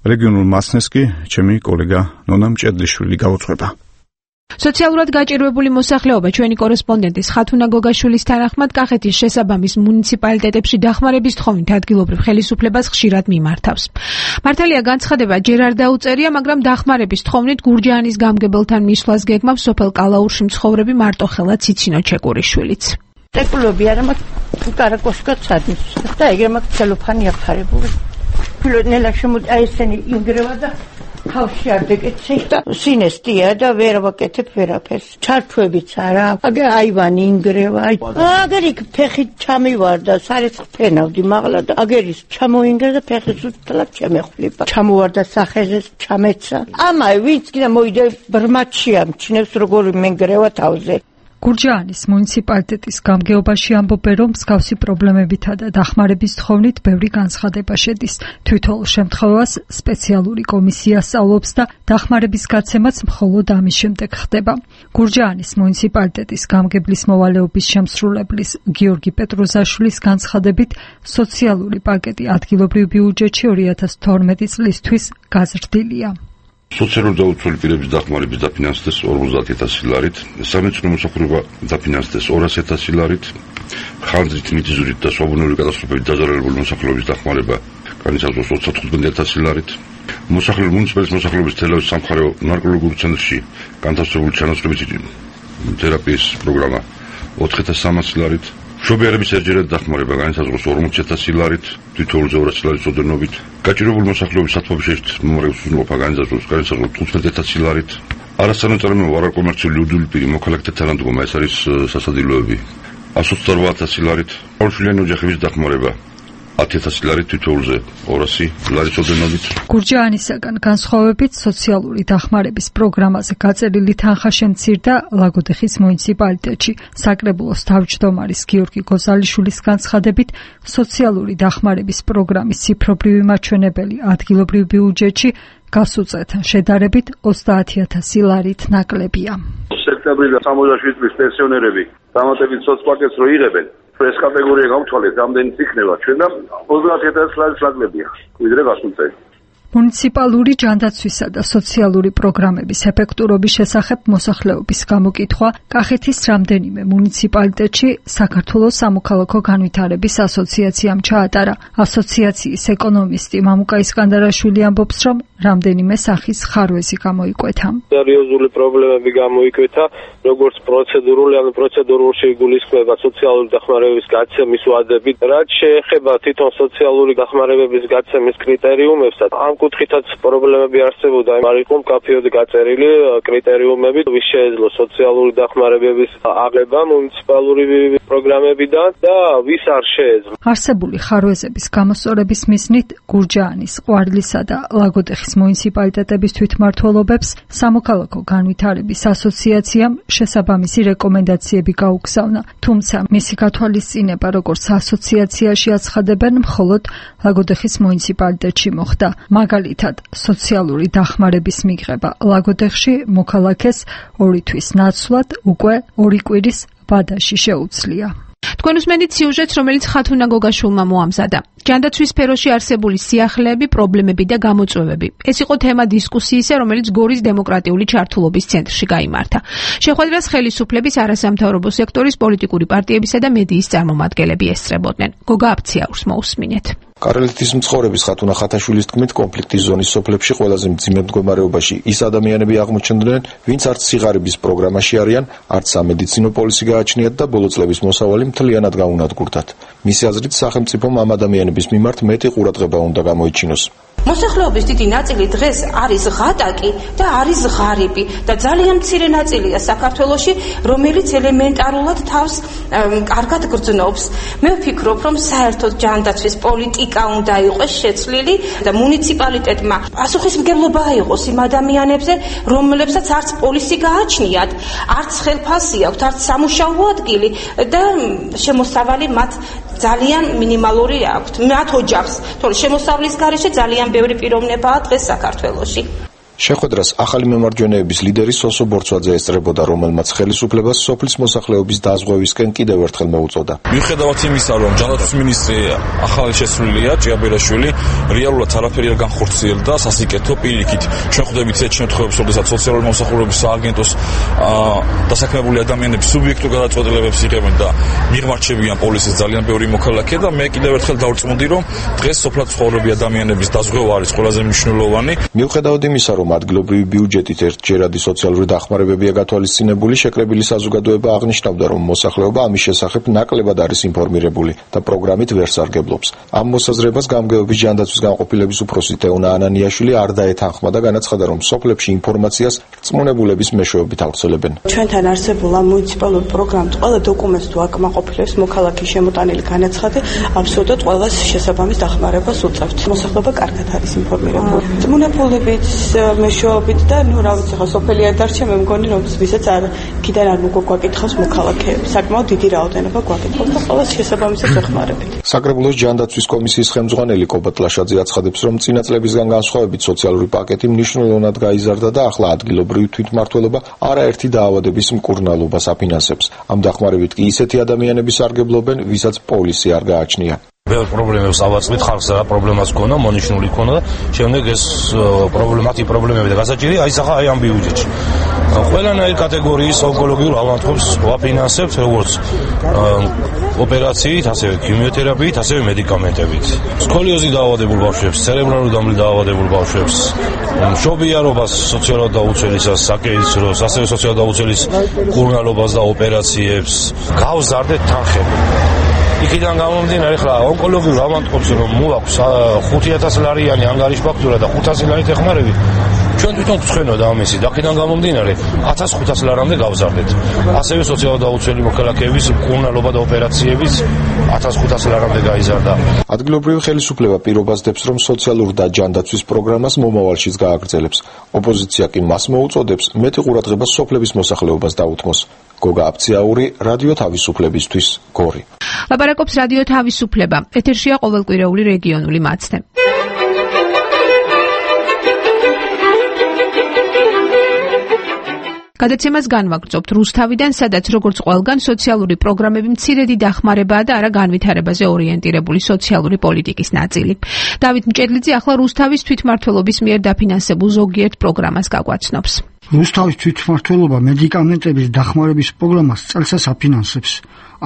რეგიონულ მასნეს კი ჩემი კოლეგა ნონა მჭედლიშვილი გაუძღვება. სოციალურად გაჭირვებული მოსახლეობა ჩვენი კორესპონდენტის ხათუნა გოგაშვილის თანახმად კახეთის შესაბამის მუნიციპალიტეტებში დახმარების თხოვნით ადგილობრივ ხელისუფლებას ხშირად მიმართავს. მართალია განცხადება ჯერ არ დაუწერია, მაგრამ დახმარების თხოვნით გურჯაანის გამგებელთან მისვლას გეგმავს სოფელ კალაურში მცხოვრები მარტოხელა ციცინო ჩეკურიშვილიც. ტეკლობი არა მაქვს კარაკოშკაც ადის და ეგრე მაქვს ცელოფანი აფარებული. ფილონელა შემოდი აი ესენი ინგრევა და თავში არ დეკეცი და სინესტია და ვერ ვაკეთებ ვერაფერს. ჩარჩვებიც არა, აგერ აივანი ინგრევა. აგერ იქ ფეხით ჩამივარდა, სარეს ფენავდი მაღლა და აგერ ის ჩამოინგრა და ფეხის უსწრაფად შემეხვლება. ჩამოვარდა სახეზე, ჩამეცა. ამაი ვინც კიდე მოიდე ბრმაჩი ამჩნევს როგორი მენგრევა თავზე. გურჯაანის მუნიციპალიტეტის გამგეობაში ამბობენ, რომ მსგავსი პრობლემებითა და დახმარების თხოვნით ბევრი განცხადება შედის. თვითონ შემთხვევას სპეციალური კომისია სწავლობს და დახმარების გაცემაც მხოლოდ ამის შემდეგ ხდება. გურჯაანის მუნიციპალიტეტის გამგებლის მოვალეობის შემსრულებლის გიორგი პეტროზაშვილის განცხადებით, სოციალური პაკეტი ადგილობრივ ბიუჯეტში ორი ათას თორმეტი წლისთვის გაზრდილია. სოციალურ დაუცველი პირების დახმარების დაფინანსდეს ორმოცდაათი ათასი ლარით, სამეცნიერო მოსახლეობა დაფინანსდეს ორასი ათასი ლარით, ხანძრით, მიწისძვრით და სვაბუნური კატასტროფებით დაზარალებული მოსახლეობის დახმარება განიცავსოს ოცდათხუთმეტი ათასი ლარით, მოსახლეობის მუნიციპალიტეტის მოსახლეობის თელავის სამხარეო ნარკოლოგიურ ცენტრში განთავსებული ჩანაცვლების თერაპიის პროგრამა ოთხი ათას სამასი ლარით, მშობიარების ერთჯერადი დახმარება განისაზღვროს ორმოცი ათასი ლარით, თითოეულზე ორასი ლარის ოდენობით. გაჭირვებული მოსახლეობის სათვალის მომრევის უზრუნველყოფა განისაზღვროს განისაზღვროს თხუთმეტი ათასი ლარით. არასანაცვალებო არაკომერციული უდული პირი მოქალაქეთა თანადგომა, ეს არის სასადილოები. ას ოცდაორბა ათასი ლარით. ორშვილიანი ოჯახების დახმარება ათი ათასი ლარით, თითოეულზე ორასი ლარის ოდენობით. გურჯაანისაგან განსხვავებით სოციალური დახმარების პროგრამაზე გაწერილი თანხა შემცირდა ლაგოდეხის მუნიციპალიტეტში. საკრებულოს თავმჯდომარის გიორგი გოზალიშვილის განცხადებით, სოციალური დახმარების პროგრამის ციფრობრივი მაჩვენებელი ადგილობრივ ბიუჯეტში გასულ წელთან შედარებით ოცდაათი ათასი ლარით ნაკლებია. სექტემბრიდან სამოცდაშვიდი წლის პენსიონერები დამატებით სოცპაკეტს რო იღებენ, ეს კატეგორია გამთვალეთ, რამდენიც იქნება ჩვენ და ოცდაათი ათასი ლარის ნაკლებია, ვიდრე გასულ წელს. მუნიციპალური ჯანდაცვისა და სოციალური პროგრამების ეფექტურობის შესახებ მოსახლეობის გამოკითხვა კახეთის რამდენიმე მუნიციპალიტეტში საქართველოს სამოქალაქო განვითარების ასოციაციამ ჩაატარა. ასოციაციის ეკონომისტი მამუკა ისკანდარაშვილი ამბობს, რომ რამდენიმე სახის ხარვეზი გამოიკვეთა. სერიოზული პრობლემები გამოიკვეთა, როგორც პროცედურული, ანუ პროცედურულში იგულისხმება სოციალური დახმარებების გაცემის ვადები, რაც შეეხება თვითონ სოციალური დახმარებების გაცემის კრიტერიუმებსაც. ამ კუთხითაც პრობლემები არსებობდა, არ იყო მკაფიოდ გაწერილი კრიტერიუმები, ვის შეეძლო სოციალური დახმარებების აღება მუნიციპალური პროგრამებიდან და ვის არ შეეძლო. არსებული ხარვეზების გამოსწორების მიზნით გურჯაანის, ყვარლისა და ლაგოდეხის მუნიციპალიტეტების თვითმმართველობებს სამოქალაქო განვითარების ასოციაციამ შესაბამისი რეკომენდაციები გაუგზავნა, თუმცა მისი გათვალისწინება როგორც ასოციაციაში აცხადებენ, მხოლოდ ლაგოდეხის მუნიციპალიტეტში მოხდა. მაგალითად, სოციალური დახმარების მიღება ლაგოდეხში მოქალაქეს ორი თვის ნაცვლად უკვე ორი კვირის ვადაში შეუძლია. თქვენ უსმენთ სიუჟეტს, რომელიც ხათუნა გოგაშვილმა მოამზადა. ჯანდაცვის სფეროში არსებული სიახლეები, პრობლემები და გამოწვევები. ეს იყო თემა დისკუსიისა, რომელიც გორის დემოკრატიული ჩართულობის ცენტრში გაიმართა. შეხვედრას ხელისუფლების, არასამთავრობო სექტორის, პოლიტიკური პარტიებისა და მედიის წარმომადგენლები ესწრებოდნენ. გოგა აფციაურს მოусმინეთ. კარელეთის მცხოვრების ხათუნა ხათაშვილის თქმით, კონფლიქტის ზონის სოფლებში ყველაზე მძიმე მდგომარეობაში ის ადამიანები აღმოჩნდნენ, ვინც არც სიღარიბის პროგრამაში არიან, არც სამედიცინო პოლისი გააჩნიათ და ბოლო წლების მოსავალი მთლიანად გაუნადგურდათ. მისი აზრით, სახელმწიფომ ამ ადამიანების მიმართ მეტი ყურადღება უნდა გამოიჩინოს. მოსახლეობის დიდი ნაწილი დღეს არის ღატაკი და არის ღარიბი და ძალიან მცირე ნაწილია საქართველოში, რომელიც ელემენტარულად თავს კარგად გრძნობს. მე ვფიქრობ, რომ საერთოდ ჯანდაცვის პოლიტიკა უნდა იყოს შეცვლილი და მუნიციპალიტეტმა პასუხისმგებლობა აიღოს იმ ადამიანებზე, რომლებსაც არც პოლისი გააჩნიათ, არც ხელფასი აქვთ, არც სამუშაო ადგილი და შემოსავალი მათ ძალიან მინიმალური აქვთ. მათ ოჯახს, თორე შემოსავლის გარეშე ძალიან ბევრი პიროვნებაა დღეს საქართველოში. შეხვედრას ახალი მემარჯვენეების ლიდერი სოსო ბორცვაძე ესწრებოდა, რომელმაც ხელისუფლებას სოფლის მოსახლეობის დაზღვევისკენ კიდევ ერთხელ მოუწოდა. მიუხედავად იმისა, რომ ჯანდაცვის მინისტრი ახალი შესრულია, ჭიაბერაშვილი, რეალურად არაფერი არ განხორციელდა სასიკეთო პირიქით. ჩვენ ხვდებით ეს შემთხვევებს, როდესაც სოციალური მომსახურების სააგენტოს დასაქმებული ადამიანები სუბიექტურ გადაწყვეტილებებს იღებენ და მიღმარჩებიან პოლისის ძალიან ბევრი მოქალაქე და მე კიდევ ერთხელ დავწმუნდი, რომ დღეს სოფლად ცხოვრობი ადამიანების დაზღვევა არის ყველაზე მნიშვნელოვანი. მიუხედავად იმისა, რომ ადგილობრივი ბიუჯეტით ერთჯერადი სოციალური დახმარებებია გათვალისწინებული, შეკრებილი საზოგადოება აღნიშნავდა, რომ მოსახლეობა ამის შესახებ ნაკლებად არის ინფორმირებული და პროგრამით ვერ სარგებლობს. ამ მოსაზრებას გამგეობის ჯანდაცვის განყოფილების უფროსი თეონა ანანიაშვილი არ დაეთანხმა და განაცხადა, რომ სოფლებში ინფორმაციას რწმუნებულების მეშვეობით ავრცელებენ. ჩვენთან არსებულ ამ მუნიციპალურ პროგრამს ყველა დოკუმენტს თუ აკმაყოფილებს მოქალაქის შემოტანილი განაცხადი, აბსოლუტურად ყველას შესაბამის დახმარებას უწევთ. მოსახლეობა კარგად არის ინფორმირებული. რწმუნებულებით მეშვეობით და ნუ რა ვიცი ხა სოფელი არ დარჩა, მე მგონი რომ ვისაც არ კიდენ არ მოგვაკითხავს მოქალაქეები. საკმაოდ დიდი რაოდენობა გვაკითხავს და ყველას შესაბამისად ვეხმარებით. საკრებულოს ჯანდაცვის კომისიის ხელმძღვანელი კობატ ლაშაძე აცხადებს, რომ წინა წლებისგან განსხვავებით სოციალური პაკეტი მნიშვნელოვნად გაიზარდა და ახლა ადგილობრივი თვითმმართველობა არაერთი დაავადების მკურნალობას აფინანსებს. ამ დახმარებით კი ისეთი ადამიანები სარგებლობენ, ვისაც პოლისი არ გააჩნია. ბევრ პრობლემებს ავაწყდით, ხალხს რა პრობლემას ქონდა, მონიშნული ქონდა და შემდეგ ეს პრობლემატი პრობლემები და გასაჭირი აისახა აი ამ ბიუჯეტში. ყველანაირი კატეგორიის ონკოლოგიურ ავადმყოფს ვაფინანსებთ, როგორც ოპერაციით, ასევე ქიმიოთერაპიით, ასევე მედიკამენტებით. სკოლიოზით დაავადებულ ბავშვებს, ცერებრალურ დამრეცი დაავადებულ ბავშვებს, მშობიარობას, სოციალურად დაუცველისას, საკეისროს, ასევე სოციალურად დაუცველის კურნალობას და ოპერაციებს გავზარდეთ თანხები. იქიდან გამომდინარე, ხლა ონკოლოგიურ ავადმყოფს რომ მოვაქვს ხუთი ათასი ლარიანი ანგარიშფაქტურა და ხუთასი ლარით ეხმარები, ჩვენ თვითონ გვცხენოდა ამისი, და აქედან გამომდინარე ათას ხუთასი ლარამდე გავზარდეთ. ასევე სოციალურად დაუცველი მოქალაქეების კურნალობა და ოპერაციების ათას ხუთასი ლარამდე გაიზარდა. ადგილობრივი ხელისუფლება პირობას დებს, რომ სოციალურ და ჯანდაცვის პროგრამას მომავალშიც გააგრძელებს. ოპოზიცია კი მას მოუწოდებს მეტი ყურადღება სოფლების მოსახლეობას დაუთმოს. გოგა აფციაური, რადიო თავისუფლებისთვის, გორი. ლაპარაკობს რადიო თავისუფლება. ეთერშია ყოველკვირეული რეგიონული მაცდე. გადაცემას განვაგრძობთ რუსთავიდან, სადაც როგორც ყველგან სოციალური პროგრამები მცირედი დახმარებაა და არა განვითარებაზე ორიენტირებული სოციალური პოლიტიკის ნაწილი. დავით მჭედლიძე ახლა რუსთავის თვითმმართველობის მიერ დაფინანსებულ ზოგიერთ პროგრამას გაგვაცნობს. რუსთავის თვითმმართველობა მედიკამენტების დახმარების პროგრამას წელსაც აფინანსებს.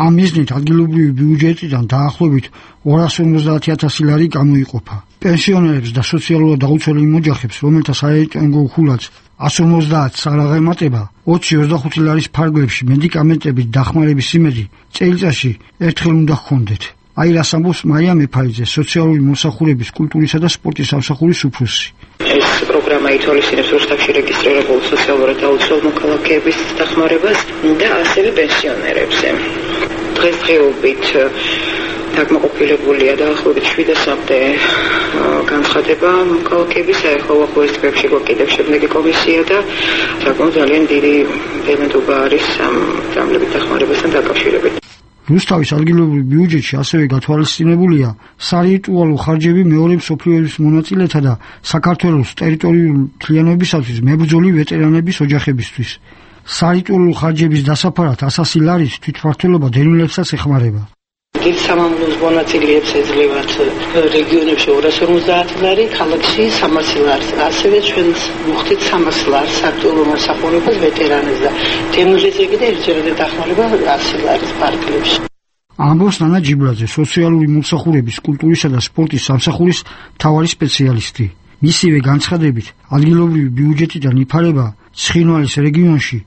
ამ მიზნით ადგილობრივი ბიუჯეტიდან დაახლოებით ორას ორმოცდაათი ათასი ლარი გამოიყოფა. პენსიონერებს და სოციალურად დაუცველი ოჯახებს, რომელთა საერთო ხულაც ას ორმოცდაათს არ აღემატება, ოცი ოცდახუთი ლარის ფარგლებში მედიკამენტების დახმარების იმედი წელიწადში ერთხელ უნდა ჰქონდეთ. აი რას ამბობს მარია მეფაიძე, სოციალური მომსახურების, კულტურისა და სპორტის სამსახურის უფროსი. ეს პროგრამა ითვალისწინებს რუსთავში რეგისტრირებულ სოციალურად დაუცველ მოქალაქეების დახმარებას და ასევე პენსიონერებზე. დღესდღეობით დაკმაყოფილებულია დაახლოებით შვიდასამდე განცხადება მოქალაქეების საერთო ახალ წლებში კიდევ შემდეგი კომისია და საკმაოდ ძალიან დიდი დემენტობა არის ამ დამლებით დახმარებასთან დაკავშირებით. რუსთავის ადგილობრივ ბიუჯეტში ასევე გათვალისწინებულია სარიტუალო ხარჯები მეორე მსოფლიო ომის მონაწილეთა და საქართველოს ტერიტორიული მთლიანობისათვის მებრძოლი ვეტერანების ოჯახებისთვის. სარიტუალო ხარჯების დასაფარად ასასი ლარით თვითმმართველობა დევნილებსაც ეხმარება. დიდ სამამულოს მონაწილეებს ეძლევათ რეგიონებში ორას ორმოცდაათი ლარი, ქალაქში სამასი ლარი. ასევე ჩვენ ვუხდით სამას ლარს სარიტუალო მომსახურებას ვეტერანებს და დევნილებზე კიდე ერთჯერადი დახმარება ასი ლარის ფარგლებში. ამბობს ნანა ჯიბლაძე, სოციალური მომსახურების, კულტურისა და სპორტის სამსახურის მთავარი სპეციალისტი. მისივე განცხადებით, ადგილობრივი ბიუჯეტიდან იფარება ცხინვალის რეგიონში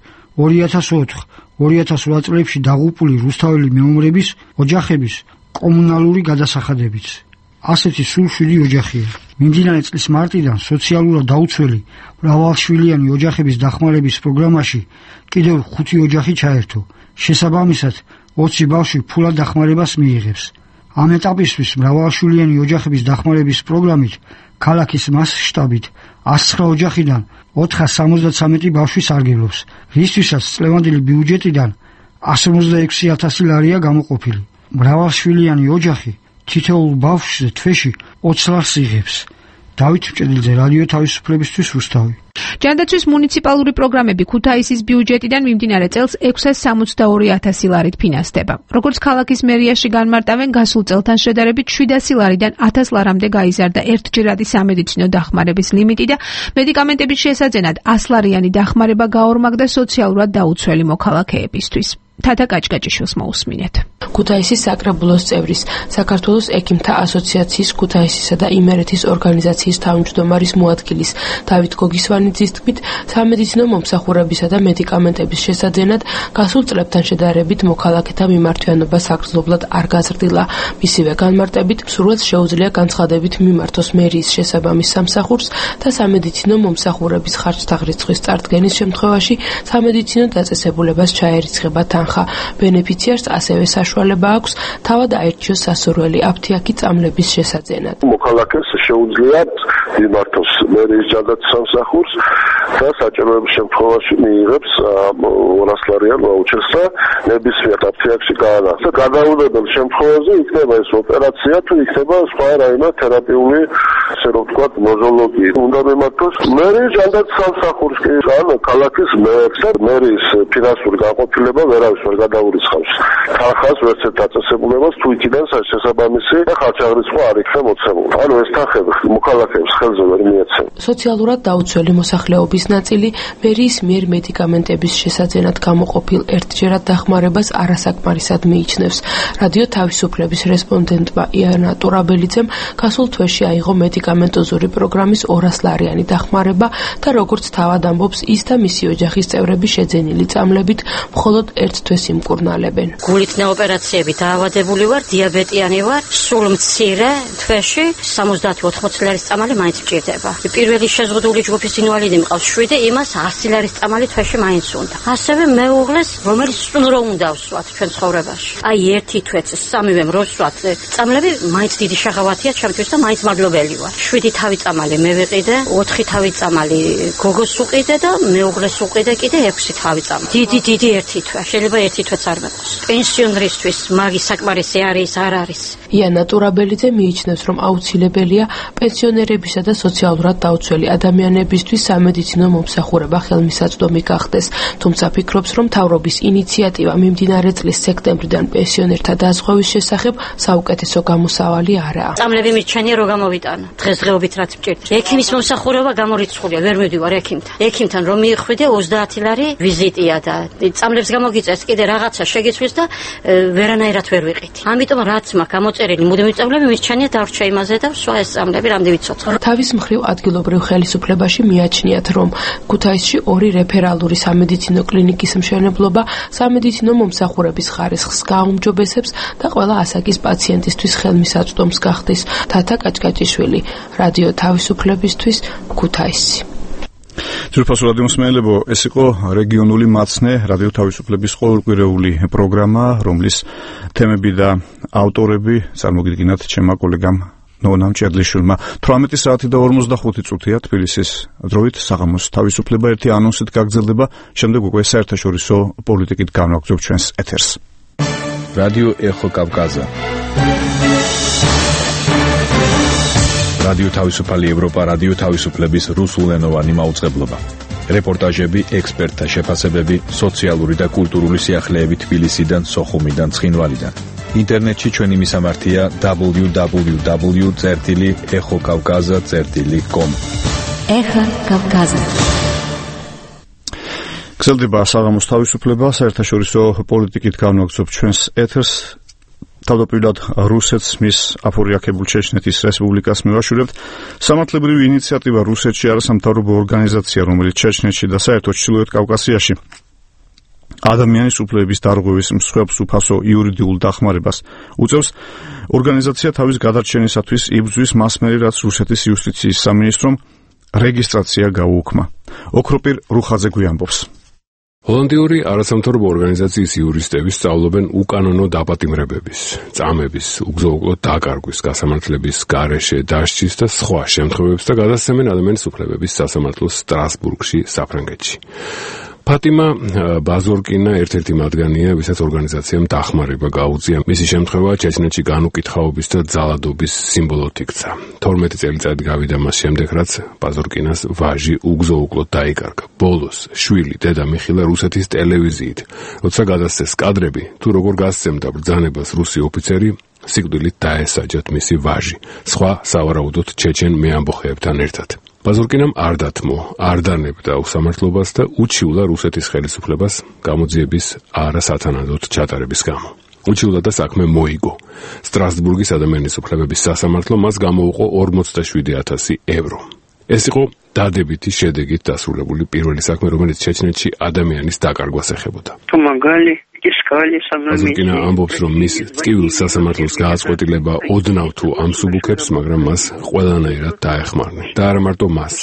ორი ათას ოთხ ორი ათას რვა წლებში დაღუპული რუსთაველი მეომრების ოჯახების კომუნალური გადასახადებიც. ასეთი სულ შვიდი ოჯახია. მიმდინარე წლის მარტიდან სოციალურად დაუცველი მრავალშვილიანი ოჯახების დახმარების პროგრამაში კიდევ ხუთი ოჯახი ჩაერთო. შესაბამისად, ოცი ბავშვი ფულად დახმარებას მიიღებს. ამ ეტაპისთვის მრავალშვილიანი ოჯახების დახმარების პროგრამით ქალაქის მასშტაბით ას ცხრა ოჯახიდან ოთხას სამოცდათვრამეტი ბავშვი სარგებლობს, რისთვისაც წლევანდელი ბიუჯეტიდან ას ორმოცდაექვსი ათასი ლარია გამოყოფილი. მრავალშვილიანი ოჯახი თითოეულ ბავშვზე თვეში ოცი ლარს იღებს. დავით მჭედლიძე, რადიო თავისუფლებისთვის, რუსთავი. ჯანდაცვის მუნიციპალური პროგრამები ქუთაისის ბიუჯეტიდან მიმდინარე წელს ექვსას სამოცდაორი ათასი ლარით ფინანსდება. როგორც ქალაქის მერიაში განმარტავენ, გასულ წელთან შედარებით შვიდასი ლარიდან ათას ლარამდე გაიზარდა ერთჯერადი სამედიცინო დახმარების ლიმიტი და მედიკამენტების შესაძენად ას ლარიანი დახმარება გაორმაგდა სოციალურად დაუცველი მოქალაქეებისთვის. თათა კაჭკაჭიშვილს მოусმინეთ. ქუთაისის საკრებულოს წევრის, საქართველოს ექიმთა ასოციაციის ქუთაისისა და იმერეთის ორგანიზაციის თავმჯდომარის მოადგილის დავით გოგისვანიძის თქმით, სამედიცინო მომსახურებისა და მედიკამენტების შესაძენად გასულ წლებთან შედარებით მოქალაქეთა მიმართვიანობა საგრძნობლად არ გაზრდილა. მისივე განმარტებით, მსურველს შეუძლია განცხადებით მიმართოს მერიის შესაბამის სამსახურს და სამედიცინო მომსახურების ხარჯთა რიცხვის წარდგენის შემთხვევაში სამედიცინო დაწესებულებას ჩაერიცხება თანხა. ბენეფიციარს ასევე საშუალება აქვს თავად აერჩიოს სასურველი აფთიაქი წამლების შესაძენად. მოქალაქეს შეუძლია მიმართოს მერიის ჯანდაცვის სამსახურს და საჭიროების შემთხვევაში მიიღებს ორას ლარიან ვაუჩერს და ნებისმიერ აფთიაქში გაანახოს. გადაუდებელ შემთხვევაში იქნება ეს ოპერაცია თუ იქნება სხვა რაიმე თერაპიული ასე რომ ვთქვათ, ნოზოლოგიის უნდა მიმართოს. მერის ჯანდაც სამსახურს კი ან ქალაქის მერს და მერის ფინანსური განყოფილება ვერავის ვერ გადაურიცხავს. თანხას ვერც ერთ დაწესებულებას თუ იქიდან შესაბამისი ხარჯაღრიცხვი არ იქნება მოცემული. ანუ ეს თანხები მოქალაქეებს ხელზე ვერ მიეცემ. სოციალურად დაუცველი მოსახლეობის ნაწილი მერის მიერ მედიკამენტების შესაძენად გამოყოფილ ერთჯერად დახმარებას არასაკმარისად მიიჩნევს. რადიო თავისუფლების რესპონდენტმა იანა ტურაბელიძემ გასულ თვეში აიღო მედიკამენტოზური პროგრამის ორასლარიანი დახმარება და როგორც თავად ამბობს, ის და მისი ოჯახის წევრები შეძენილი წამლებით მხოლოდ ერთ თვეს იმკურნალებენ. გულით ოპერაციები დაავადებული ვარ, დიაბეტიანი ვარ, სულ მცირე თვეში სამოცდაათი ოთხმოცი ლარის წამალი მაინც მჭირდება. პირველი შეზღუდული ჯგუფის ინვალიდი მყავს შვიდი, იმას ასი ლარის წამალი თვეში მაინც უნდა. ასევე მეუღლეს, რომელიც სტუმრო უნდა ვსვათ ჩვენ ცხოვრებაში. აი ერთი თვეც სამივე როსვათ წამლები მაინც დიდი შაღავათია ჩემთვის და მაინც მადლობელი ვარ. შვიდი თავი წამალი მე ვიყიდე, ოთხი თავი წამალი გოგოს უყიდე და მეუღლეს უყიდე კიდე ექვსი თავი წამალი. დიდი დიდი ერთი თვე. შეიძლება ერთი თვეც არ მეყოს. პენსიონერისთვის მაგის საკმარისი არის, არ არის. იანა ტურაბელიძე მიიჩნევს, რომ აუცილებელია პენსიონერებისა და სოციალურად დაუცველი ადამიანებისთვის სამედიცინო მომსახურება ხელმისაწვდომი გახდეს. თუმცა ფიქრობს, რომ მთავრობის ინიციატივა მიმდინარე წლის სექტემბრიდან პენსიონერთა დაზღვევის შესახებ საუკეთესო გამოსავალი არაა. წამლები მიჩენია რომ გამოვიტანო. დღესდღეობით რაც მჭირდება. ექიმის მომსახურება გამორიცხულია, ვერ მივდივარ ექიმთან. ექიმთან რომ მივხვიდე ოცდაათი ლარი ვიზიტია და წამლებს გამოგიწეს კიდე რაღაცა შეგიცვლის და ვერანაირად ვერ ვიყიდი. ამიტომ რაც მაქვს გამოწერილი მუდმივი წამლები მიჩენია დარჩა იმაზე და სხვა ეს წამლები რამდენი ვიცოცხლე. თავის მხრივ ადგილობრივ ხელისუფლებაში მიაჩნიათ, რომ ქუთაისში ორი რეფერალური სამედიცინო კლინიკის მშენებლობა სამედიცინო მომსახურების ხარისხს გააუმჯობესებს და ყველა ასაკის პაციენტისთვის ხელმისაწვდომს გახდის. თათა კაჭკაჭიშვილი, რადიო თავისუფლებისთვის, ქუთაისი. ძვირფასო რადიო მსმენელებო, ეს იყო რეგიონული მაცნე, რადიო თავისუფლების ყოველკვირეული პროგრამა, რომლის თემები და ავტორები წარმოგიდგინათ ჩემმა კოლეგამ ნონამ ჭედლიშვილმა. თვრამეტი საათი და ორმოცდახუთი წუთია თბილისის დროით საღამოს თავისუფლება ერთი ანონსით გაგრძელდება, შემდეგ უკვე საერთაშორისო პოლიტიკით განვაგრძობ ჩვენს ეთერს. რადიო ეხო კავკაზა. რადიო თავისუფალი ევროპა, რადიო თავისუფლების რუსულენოვანი მაუწყებლობა. რეპორტაჟები, ექსპერტთა შეფასებები, სოციალური და კულტურული სიახლეები თბილისიდან, სოხუმიდან, ცხინვალიდან. ინტერნეტში ჩვენი მისამართია დაბლიუ დაბლიუ დაბლიუ წერტილი ეხო კავკაზა წერტილი კომ. ეხო კავკაზა. გრძელდება საღამოს თავისუფლება, საერთაშორისო პოლიტიკით განვაგრძობ ჩვენს ეთერს. თავდაპირველად რუსეთს მის აფორიაქებულ ჩეჩნეთის რესპუბლიკას მივაშურებთ. სამართლებრივი ინიციატივა რუსეთში არასამთავრობო ორგანიზაცია, რომელიც ჩეჩნეთში და საერთოდ ჩრდილოეთ კავკასიაში ადამიანის უფლებების დარღვევის მსხვერპლს უფასო იურიდიულ დახმარებას უწევს. ორგანიზაცია თავის გადარჩენისათვის იბრძვის მასმერი, რაც რუსეთის იუსტიციის სამინისტრომ რეგისტრაცია გაუუქმა. ოქროპირ რუხაძე გვიამბობს. ჰოლანდიური არასამთავრობო ორგანიზაციის იურისტები სწავლობენ უკანონო დაპატიმრებების, წამების, უგზო-უგლო დაკარგვის, გასამართლების გარეშე დასჯის და სხვა შემთხვევებს და გადასცემენ ადამიანის უფლებების სასამართლოს სტრასბურგში, საფრანგეთში. ფატიმა ბაზორკინა ერთ-ერთი მათგანია, ვისაც ორგანიზაციამ დახმარება გაუწია. მისი შემთხვევა ჩეჩნეთში განუკითხაობის და ძალადობის სიმბოლოდ იქცა. თორმეტი წელიწადი გავიდა მას შემდეგ, რაც ბაზორკინას ვაჟი უგზო-უგლოდ დაიკარგა. ბოლოს შვილი დედა მიხილა რუსეთის ტელევიზიით, როცა გადასცეს კადრები, თუ როგორ გასცემდა ბრძანებას რუსი ოფიცერი, სიკვდილით დაესაჯათ მისი ვაჟი, სხვა სავარაუდოდ ჩეჩენ მეამბოხეებთან ერთად. ბაზორკინამ არ დათმო, არ დანებდა უსამართლობას და უჩიულა რუსეთის ხელისუფლებას გამოძიების არასათანადოდ ჩატარების გამო. უჩიულა და საქმე მოიგო. სტრასბურგის ადამიანის უფლებების სასამართლო მას გამოუყო ორმოცდაშვიდი ათასი ევრო. ეს იყო დადებითი შედეგით დასრულებული პირველი საქმე, რომელიც ჩეჩნეთში ადამიანის დაკარგვას ეხებოდა. Помогали. ბაზორკინა ამბობს, რომ მის წკივილ სასამართლოს გააწყვეტილება ოდნავ თუ ამსუბუქებს, მაგრამ მას ყველანაირად დაეხმარნენ. და არა მარტო მას,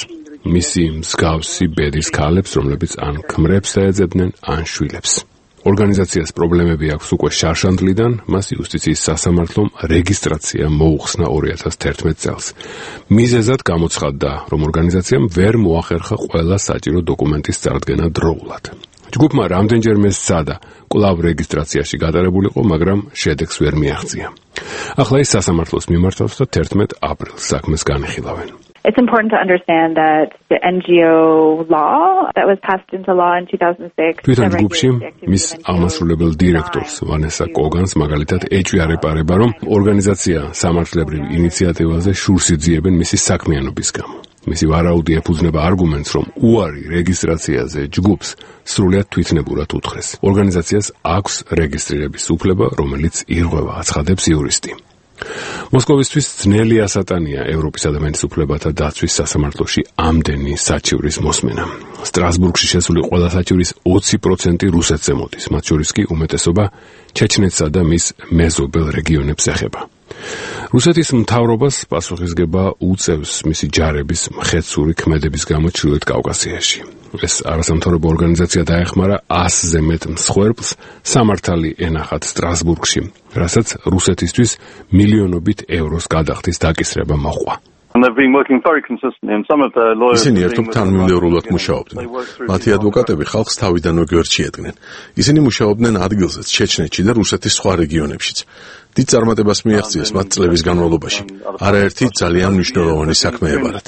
მისი მსგავსი ბედის ქალებს, რომლებიც ან ქმრებს დაეძებდნენ, ან შვილებს. ორგანიზაციას პრობლემები აქვს უკვე შარშანდლიდან, მას იუსტიციის სასამართლომ რეგისტრაცია მოუხსნა ორი ათას თერთმეტ წელს. მიზეზად გამოცხადდა, რომ ორგანიზაციამ ვერ მოახერხა ყველა საჭირო დოკუმენტის წარდგენა დროულად. ჯგუფმა რამდენჯერმე სცადა კვლავ რეგისტრაციაში გატარებულიყო, მაგრამ შედეგს ვერ მიაღწია. ახლა ის სასამართლოს მიმართავს და თერთმეტ აპრილს საქმეს განიხილავენ. It's important to understand that the N G O law that was passed into law in two thousand six თვითონ ჯგუფში მის ამასრულებელ დირექტორს ვანესა კოგანს მაგალითად ეჭვიარება, რომ ორგანიზაცია სამართლებრივ ინიციატივაზე შურს იძიებენ მისი საქმიანობის გამო. მისი ვარაუდი ეფუძნება არგუმენტს, რომ უარი რეგისტრაციაზე ჯგუფს სრულად თვითნებურად უთხრეს. ორგანიზაციას აქვს რეგისტრირების უფლება, რომელიც ირღვევა, აცხადებს იურისტი. მოსკოვისთვის ძნელი ასატანია ევროპის ადამიანის უფლებათა დაცვის სასამართლოში ამდენი საჩივრის მოსმენა. სტრასბურგში შესული ყველა საჩივრის ოცი პროცენტი რუსეთზე მოდის, მათ შორის კი უმეტესობა ჩეჩნეთსა და მის მეზობელ რეგიონებს ეხება. რუსეთის მთავრობას პასუხისგება უწევს მისი ჯარების მხეცური ქმედების გამო ჩრდილოეთ კავკასიაში. ეს არასამთავრობო ორგანიზაცია დაეხმარა ასზე მეტ მსხვერპლს სამართალი ენახათ სტრასბურგში, რასაც რუსეთისთვის მილიონობით ევროს გადახდის დაკისრება მოჰყვა. ისინი ერთობ თანმიმდევრულად მუშაობდნენ. მათი ადვოკატები ხალხს თავიდანვე გვერდში ედგნენ. ისინი მუშაობდნენ ადგილზეც, ჩეჩნეთში და რუსეთის სხვა რეგიონებშიც. დიდ წარმატებას მიაღწიეს მათ წლების განმავლობაში. არაერთი ძალიან მნიშვნელოვანი საქმე ებარათ.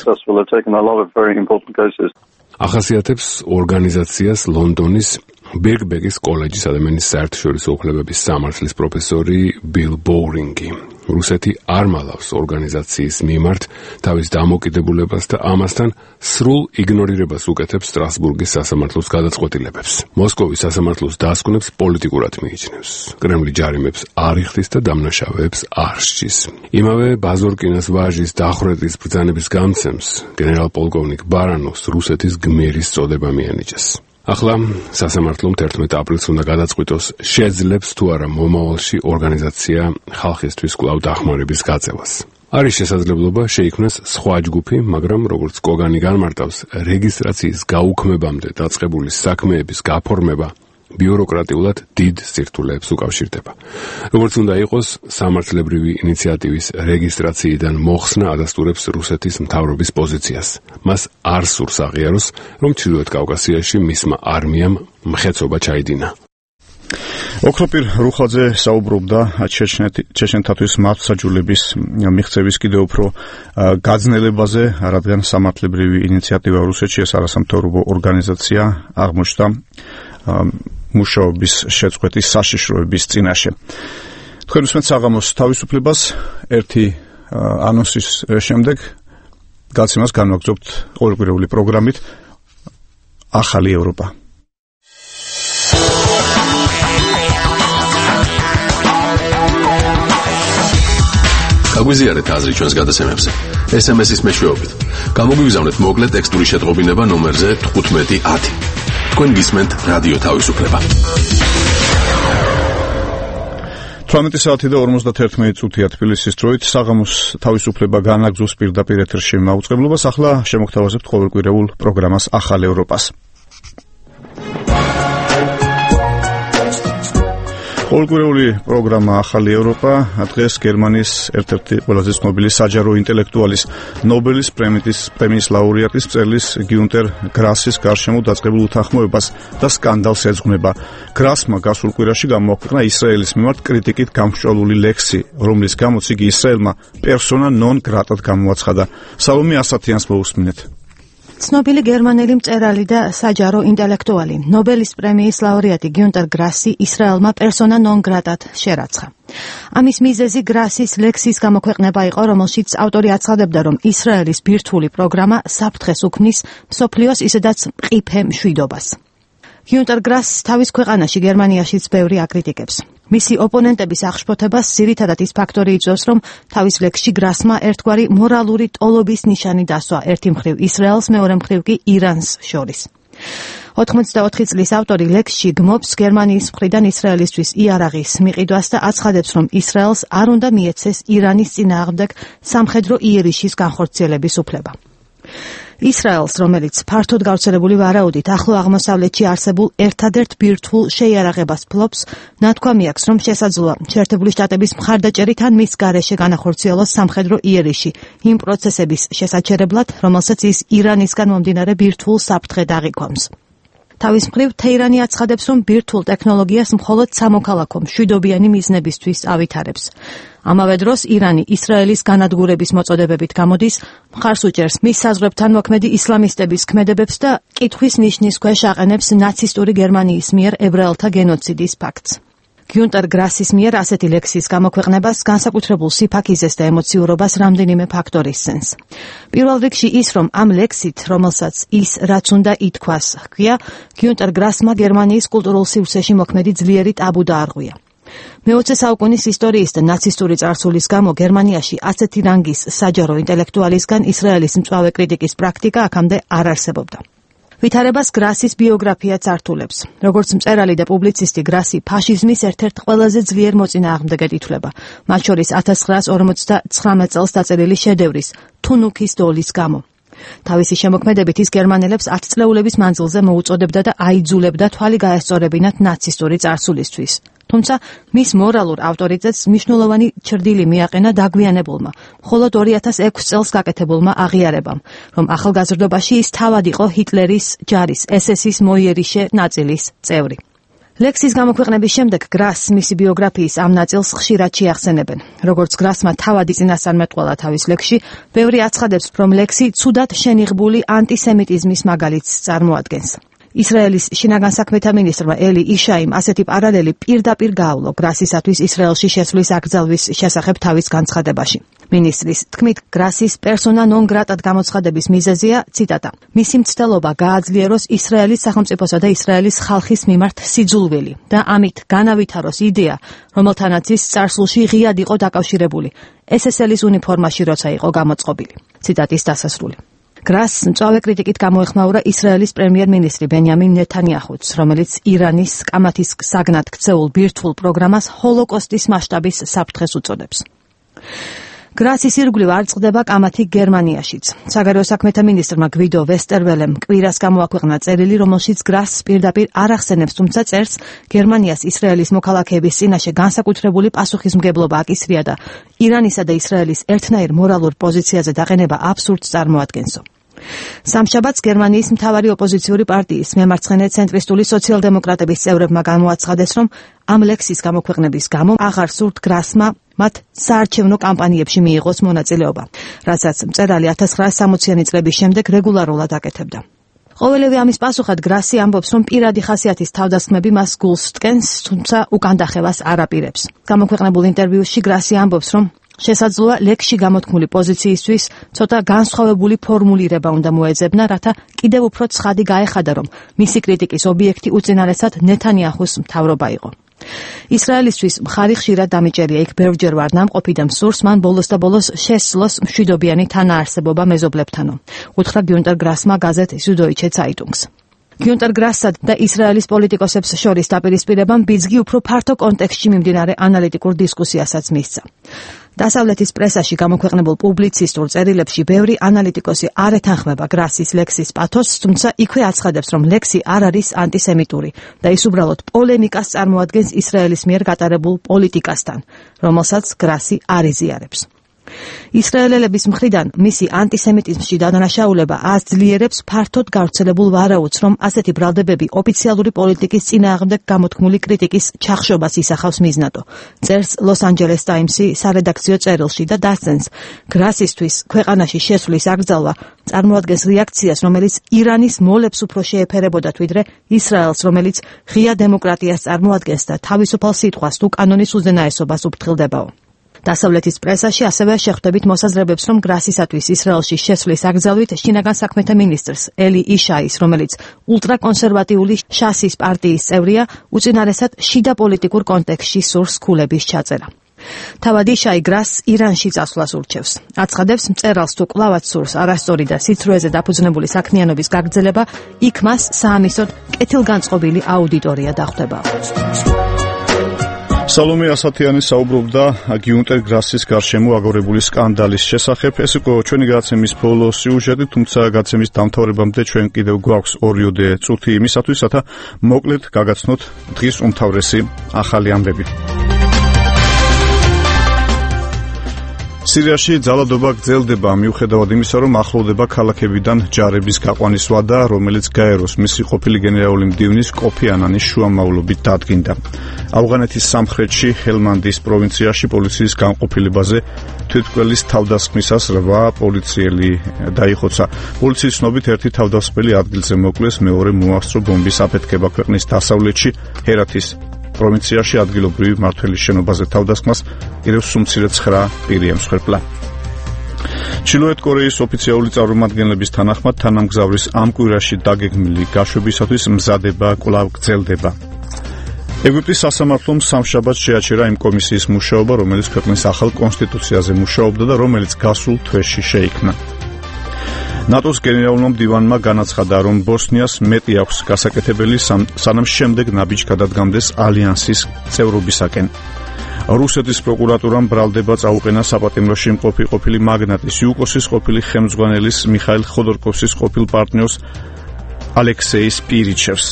ახასიათებს ორგანიზაციას ლონდონის ბერგბეგის კოლეჯის ადამიანის საერთაშორისო უფლებების სამართლის პროფესორი ბილ ბოურინგი. რუსეთი არ მალავს ორგანიზაციის მიმართ თავის დამოკიდებულებას და ამასთან სრულ იგნორირებას უკეთებს სტრასბურგის სასამართლოს გადაწყვეტილებებს. მოსკოვის სასამართლოს დასკვნებს პოლიტიკურად მიიჩნევს. კრემლი ჯარიმებს არ იხდის და დამნაშავეებს არ სჯის. იმავე ბაზორკინას ვაჟის დახვრეტის ბრძანების გამცემს გენერალ-პოლკოვნიკ ბარანოვს რუსეთის გმირის წოდება მიანიჭეს. ახლა სასამართლომ თერთმეტ აპრილს უნდა გადაწყვიტოს, შეძლებს თუ არა მომავალში ორგანიზაცია ხალხისთვის კვლავ დახმარების გაწევას. არის შესაძლებლობა შეიქმნას სხვა ჯგუფი, მაგრამ როგორც კოგანი განმარტავს, რეგისტრაციის გაუქმებამდე დაწყებული საქმეების გაფორმება ბიუროკრატიულად დიდ სირთულეებს უკავშირდება. როგორც უნდა იყოს, სამართლებრივი ინიციატივის რეგისტრაციიდან მოხსნა ადასტურებს რუსეთის მთავრობის პოზიციას. მას არ სურს აღიაროს, რომ ჩრდილოეთ კავკასიაში მისმა არმიამ მხეცობა ჩაიდინა. ოქროპირ რუხაძე საუბრობდა ჩეჩნეთათვის მართლმსაჯულების მიღწევის კიდევ უფრო გაძნელებაზე, რადგან სამართლებრივი ინიციატივა რუსეთში ეს არასამთავრობო ორგანიზაცია აღმოჩნდა მუშაობის შეწყვეტის საშიშროების წინაშე. თქვენ უსმენთ საღამოს თავისუფლებას ერთი ანონსის შემდეგ გაცემას განვაგრძობთ ყოველკვირეული პროგრამით ახალი ევროპა. გაგვიზიარეთ აზრი ჩვენს გადაცემებზე. ეს ემ ეს-ის მეშვეობით. გამოგვიგზავნეთ მოკლე ტექსტური შეტყობინება ნომერზე თხუთმეტი ათი. თქვენ გისმენთ რადიო თავისუფლება. თვრამეტი საათი და ორმოცდაერთმეტი წუთია თბილისის დროით. საღამოს თავისუფლება განაგზობს პირდაპირ ეთერში მაუწყებლობას. ახლა შემოგთავაზებთ ყოველკვირეულ პროგრამას ახალ ევროპას. ყოველკვირეული პროგრამა ახალი ევროპა დღეს გერმანიის ერთ-ერთი ყველაზე ცნობილი საჯარო ინტელექტუალის ნობელის პრემიის პრემიის ლაურეატის მწერლის გიუნტერ გრასის გარშემო დაწყებულ უთანხმოებას და სკანდალს ეძღვნება. გრასმა გასულ კვირაში გამოაქვეყნა ისრაელის მიმართ კრიტიკით გამსჭვალული ლექსი, რომლის გამოც იგი ისრაელმა პერსონა ნონ გრატად გამოაცხადა. სალომე ასათიანს მოусმინეთ. ცნობილი გერმანელი მწერალი და საჯარო ინტელექტუალი, ნობელის პრემიის ლაურეატი გიუნტერ გრასი ისრაელმა პერსონა ნონ გრატად შერაცხა. ამის მიზეზი გრასის ლექსის გამოქვეყნება იყო, რომელშიც ავტორი აცხადებდა, რომ ისრაელის ბირთვული პროგრამა საფრთხეს უქმნის მსოფლიოს ისედაც მყიფე მშვიდობას. გიუნტერ გრასს თავის ქვეყანაში გერმანიაშიც ბევრი აკრიტიკებს. მისი ოპონენტების აღშფოთებას ძირითადად ის ფაქტორი იწვევს, რომ თავის ლექსში გრასმა ერთგვარი მორალური ტოლობის ნიშანი დასვა ერთი მხრივ ისრაელს, მეორე მხრივ კი ირანს შორის. ოთხმოცდაოთხი წლის ავტორი ლექსში გმობს გერმანიის მხრიდან ისრაელისთვის იარაღის მიყიდვას და აცხადებს, რომ ისრაელს არ უნდა მიეცეს ირანის წინააღმდეგ სამხედრო იერიშის განხორციელების უფლება. ისრაელს, რომელიც ფართოდ გავრცელებული ვარაუდით ახლო აღმოსავლეთში არსებულ ერთადერთ ბირთვულ შეიარაღებას ფლობს, ნათქვამი აქვს, რომ შესაძლოა შეერთებული შტატების მხარდაჭერით ან მის გარეშე განახორციელოს სამხედრო იერიში იმ პროცესების შესაჩერებლად, რომელსაც ის ირანისგან მომდინარე ბირთვულ საფრთხედ აღიქვამს. თავის მხრივ თეირანი აცხადებს, რომ ბირთვულ ტექნოლოგიას მხოლოდ სამოქალაქო მშვიდობიანი მიზნებისთვის ავითარებს. ამავე დროს ირანი ისრაელის განადგურების მოწოდებებით გამოდის, მხარს უჭერს მის საზღვრებთან მოქმედი ისლამისტების ქმედებებს და კითხვის ნიშნის ქვეშ აყენებს ნაცისტური გერმანიის მიერ ებრაელთა გენოციდის ფაქტს. გიუნტერ გრასის მიერ ასეთი ლექსის გამოქვეყნებას განსაკუთრებულ სიფაქიზეს და ემოციურობას რამდენიმე ფაქტორი სცემს. პირველ რიგში ის, რომ ამ ლექსით, რომელსაც ის რაც უნდა ითქვას, ჰქვია, გიუნტერ გრასმა გერმანიის კულტურულ სივრცეში მოქმედი ძლიერი ტაბუ დაარღვია. მეოცე საუკუნის ისტორიის და ნაცისტური წარსულის გამო გერმანიაში ასეთი რანგის საჯარო ინტელექტუალისგან ისრაელის მწვავე კრიტიკის პრაქტიკა აქამდე არ არსებობდა. ვითარებას გრასის ბიოგრაფია წართულებს. როგორც მწერალი და პუბლიცისტი, გრასი ფაშიზმის ერთ-ერთ ყველაზე ძლიერ მოწინააღმდეგედ ითვლება, მათ შორის ათას ცხრაას ორმოცდაცხრამეტ წელს დაწერილი შედევრის თუნუქის დოლის გამო. თავისი შემოქმედებით ის გერმანელებს ათწლეულების მანძილზე მოუწოდებდა და აიძულებდა თვალი გაესწორებინათ ნაცისტური წარსულისთვის. თუმცა მის მორალურ ავტორიტეტს მნიშვნელოვანი ჩრდილი მიაყენა დაგვიანებულმა, მხოლოდ ორი ათას ექვსი წელს გაკეთებულმა აღიარებამ, რომ ახალგაზრდობაში ის თავად იყო ჰიტლერის ჯარის ეს ეს-ის მოიერიშე ნაწილის წევრი. ლექსის გამოქვეყნების შემდეგ გრასს მისი ბიოგრაფიის ამ ნაწილს ხშირად შეახსენებენ. როგორც გრასმა თავადი წინასწარმეტყველა თავის ლექსში, ბევრი აცხადებს, რომ ლექსი ცუდად შენიღბული ანტისემიტიზმის მაგალითს წარმოადგენს. ისრაელის შინაგან საქმეთა მინისტრმა ელი იშაიმ ასეთი პარალელი პირდაპირ გაავლო გრასისათვის ისრაელში შესვლის აკრძალვის შესახებ თავის განცხადებაში. მინისტრის თქმით, გრასის პერსონა ნონ გრატად გამოცხადების მიზეზია, ციტატა, მისი მცდელობა გააძლიეროს ისრაელის სახელმწიფოსა და ისრაელის ხალხის მიმართ სიძულვილი და ამით განავითაროს იდეა, რომელთანაც ის წარსულში ღიად იყო დაკავშირებული, ეს ეს ელის უნიფორმაში როცა იყო გამოწყობილი. ციტატის დასასრული. გრასს მწვავე კრიტიკით გამოეხმაურა ისრაელის პრემიერ-მინისტრი ბენიამინ ნეთანიაჰუც, რომელიც ირანის კამათის საგნად ქცეულ ბირთვულ პროგრამას ჰოლოკოსტის მასშტაბის საფრთხეს უწოდებს. გრასის ირგვლივ არ წყდება კამათი გერმანიაშიც. საგარეო საქმეთა მინისტრმა გვიდო ვესტერველემ კვირას გამოაქვეყნა წერილი, რომელშიც გრასს პირდაპირ არ ახსენებს, თუმცა წერს, გერმანიას ისრაელის მოქალაქეების წინაშე განსაკუთრებული პასუხისმგებლობა აკისრია და ირანისა და ისრაელის ერთნაირ მორალურ პოზიციაზე დაყენება აბსურდს წარმოადგენსო. სამშაბათს გერმანიის მთავარი ოპოზიციური პარტიის მემარცხენე ცენტრისტული სოციალ-დემოკრატების წევრებმა გამოაცხადეს, რომ ამ ლექსის გამოქვეყნების გამო აღარ სურთ გრასმა მათ საარჩევნო კამპანიებში მიიღოს მონაწილეობა, რასაც მწერალი ათას ცხრაას სამოციანი წლების შემდეგ რეგულარულად აკეთებდა. ყოველივე ამის პასუხად გრასი ამბობს, რომ პირადი ხასიათის თავდასხმები მას გულს ტკენს, თუმცა უკან დახევას არ აპირებს. გამოქვეყნებულ ინტერვიუში გრასი ამბობს, რომ შესაძლოა ლექსში გამოთქმული პოზიციისთვის ცოტა განსხვავებული ფორმულირება უნდა მოეძებნა, რათა კიდევ უფრო ცხადი გაეხადა, რომ მისი კრიტიკის ობიექტი უწინარესად ნეთანიაჰუს მთავრობა იყო. ისრაელისთვის მხარი ხშირად დამიჭერია, იქ ბევრჯერ ვარ ნამყოფი და მსურს მან ბოლოს და ბოლოს შესძლოს მშვიდობიანი თანაარსებობა მეზობლებთანო. უთხრა გიუნტერ გრასმა გაზეთ Süddeutsche Zeitungs. გიუნტერ გრასსა და ისრაელის პოლიტიკოსებს შორის დაპირისპირებამ ბიძგი უფრო ფართო კონტექსტში მიმდინარე ანალიტიკურ დისკუსიასაც მისცა. დასავლეთის პრესაში გამოქვეყნებულ პუბლიცისტურ წერილებში ბევრი ანალიტიკოსი არ ეთანხმება გრასის ლექსის პათოსს, თუმცა იქვე აცხადებს, რომ ლექსი არ არის ანტისემიტური და ის უბრალოდ პოლემიკას წარმოადგენს ისრაელის მიერ გატარებულ პოლიტიკასთან, რომელსაც გრასი არ იზიარებს. ისრაელელების მხრიდან მისი ანტისემიტიზმში დანაშაულება აძლიერებს ფართოდ გავრცელებულ ვარაუდს, რომ ასეთი ბრალდებები ოფიციალური პოლიტიკის წინააღმდეგ გამოთქმული კრიტიკის ჩახშობას ისახავს მიზნად. წერს Los Angeles Times-ი სარედაქციო წერილში და დასცენს, გრასისთვის ქვეყანაში შესვლის აკრძალვა წარმოადგენს რეაქციას, რომელიც ირანის მოლებს უფრო შეეფერებოდათ, ვიდრე ისრაელს, რომელიც ღია დემოკრატიას წარმოადგენს და თავისუფალ სიტყვას თუ კანონის უზენაესობას უფრთხილდებაო. დასავლეთის პრესაში ასევე შეხვდებით მოსაზრებებს, რომ გრასისათვის ისრაელში შესვლის აკრძალვით შინაგან საქმეთა მინისტრს ელი იშაის, რომელიც ულტრაკონსერვატიული შასის პარტიის წევრია, უწინარესად შიდა პოლიტიკურ კონტექსტში სურს ქულების ჩაწერა. თავად იშაი გრასს ირანში წასვლას ურჩევს. აცხადებს, მწერალს თუ კვლავაც სურს არასწორი და სიცრუეზე დაფუძნებული საქმიანობის გაგრძელება, იქ მას საამისოდ კეთილგანწყობილი აუდიტორია დახვდება. სალომე ასათიანი საუბრობდა გიუნტერ გრასის გარშემო აგორებული სკანდალის შესახებ. ეს იყო ჩვენი გადაცემის ბოლო სიუჟეტი, თუმცა გადაცემის დამთავრებამდე ჩვენ კიდევ გვაქვს ორიოდე წუთი იმისათვის, რათა მოკლედ გაგაცნოთ დღის უმთავრესი ახალი ამბები. სირიაში ძალადობა გრძელდება მიუხედავად იმისა, რომ ახლოვდება ქალაქებიდან ჯარების გაყვანის ვადა, რომელიც გაეროს მისი ყოფილი გენერალური მდივნის კოფი ანანის შუამავლობით დადგინდა. ავღანეთის სამხრეთში ჰელმანდის პროვინციაში პოლიციის განყოფილებაზე თვითმკვლელის თავდასხმისას რვა პოლიციელი დაიხოცა. პოლიციის ცნობით ერთი თავდასხმელი ადგილზე მოკლეს, მეორე მოასწრო ბომბის აფეთქება ქვეყნის დასავლეთში ჰერათის პროვინციაში ადგილობრივი მმართველის შენობაზე თავდასხმას კიდევ სუმცირე ცხრა პირი ემსხვერპლა. ჩრდილოეთ კორეის ოფიციალური წარმომადგენლების თანახმად თანამგზავრის ამ კვირაში დაგეგმილი გაშვებისათვის მზადება კვლავ გრძელდება. ეგვიპტის სასამართლომ სამშაბათს შეაჩერა იმ კომისიის მუშაობა, რომელიც ქვეყნის ახალ კონსტიტუციაზე მუშაობდა და რომელიც გასულ თვეში შეიქმნა. ნატოს გენერალურმა მდივანმა განაცხადა, რომ ბოსნიას მეტი აქვს გასაკეთებელი, სანამ შემდეგ ნაბიჯ გადადგამდეს ალიანსის წევრობისაკენ. რუსეთის პროკურატურამ ბრალდება წაუყენა საპატიმროში მყოფი ყოფილი მაგნატის იუკოსის ყოფილი ხელმძღვანელის მიხაილ ხოდორკოვსის ყოფილ პარტნიორს ალექსეი სპირიჩევს.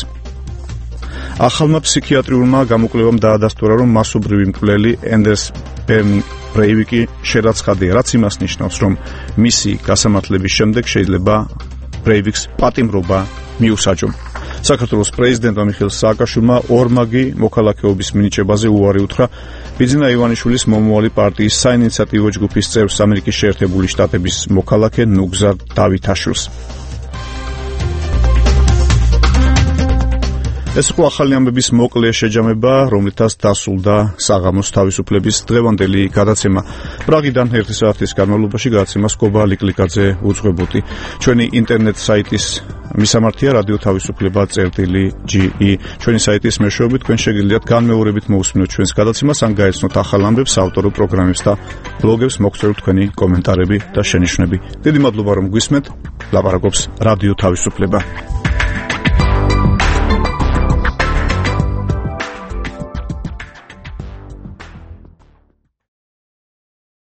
ახალმა ფსიქიატრიულმა გამოკვლევამ დაადასტურა, რომ მასობრივი მკვლელი ენდერს ბრეივიკი შერაცხადია, რაც იმას ნიშნავს, რომ მისი გასამართლების შემდეგ შეიძლება ბრეივიკს პატიმრობა მიუსაჯო. საქართველოს პრეზიდენტმა მიხეილ სააკაშვილმა ორმაგი მოქალაქეობის მინიჭებაზე უარი უთხრა ბიძინა ივანიშვილის მომავალი პარტიის საინიციატივო ჯგუფის წევრს, ამერიკის შეერთებული შტატების მოქალაქე ნუგზარ დავითაშვილს. ეს იყო ახალი ამბების მოკლე შეჯამება, რომლითაც დასრულდა საღამოს თავისუფლების დღევანდელი გადაცემა. პრაღიდან ერთი საათის განმავლობაში გადაცემას გობა ლიკლიკაძე უძღვებოდი. ჩვენი ინტერნეტ საიტის მისამართია რადიო თავისუფლება წერტილი ჯი ი. ჩვენი საიტის მეშვეობით თქვენ შეგიძლიათ განმეორებით მოусმინოთ ჩვენს გადაცემას, ან გაეცნოთ ახალ ამბებს, ავტორო პროგრამებს და ბლოგებს, მოგწეროთ თქვენი კომენტარები და შენიშვნები. დიდი მადლობა რომ გვისმენთ. ლაპარაკობს რადიო თავისუფლება.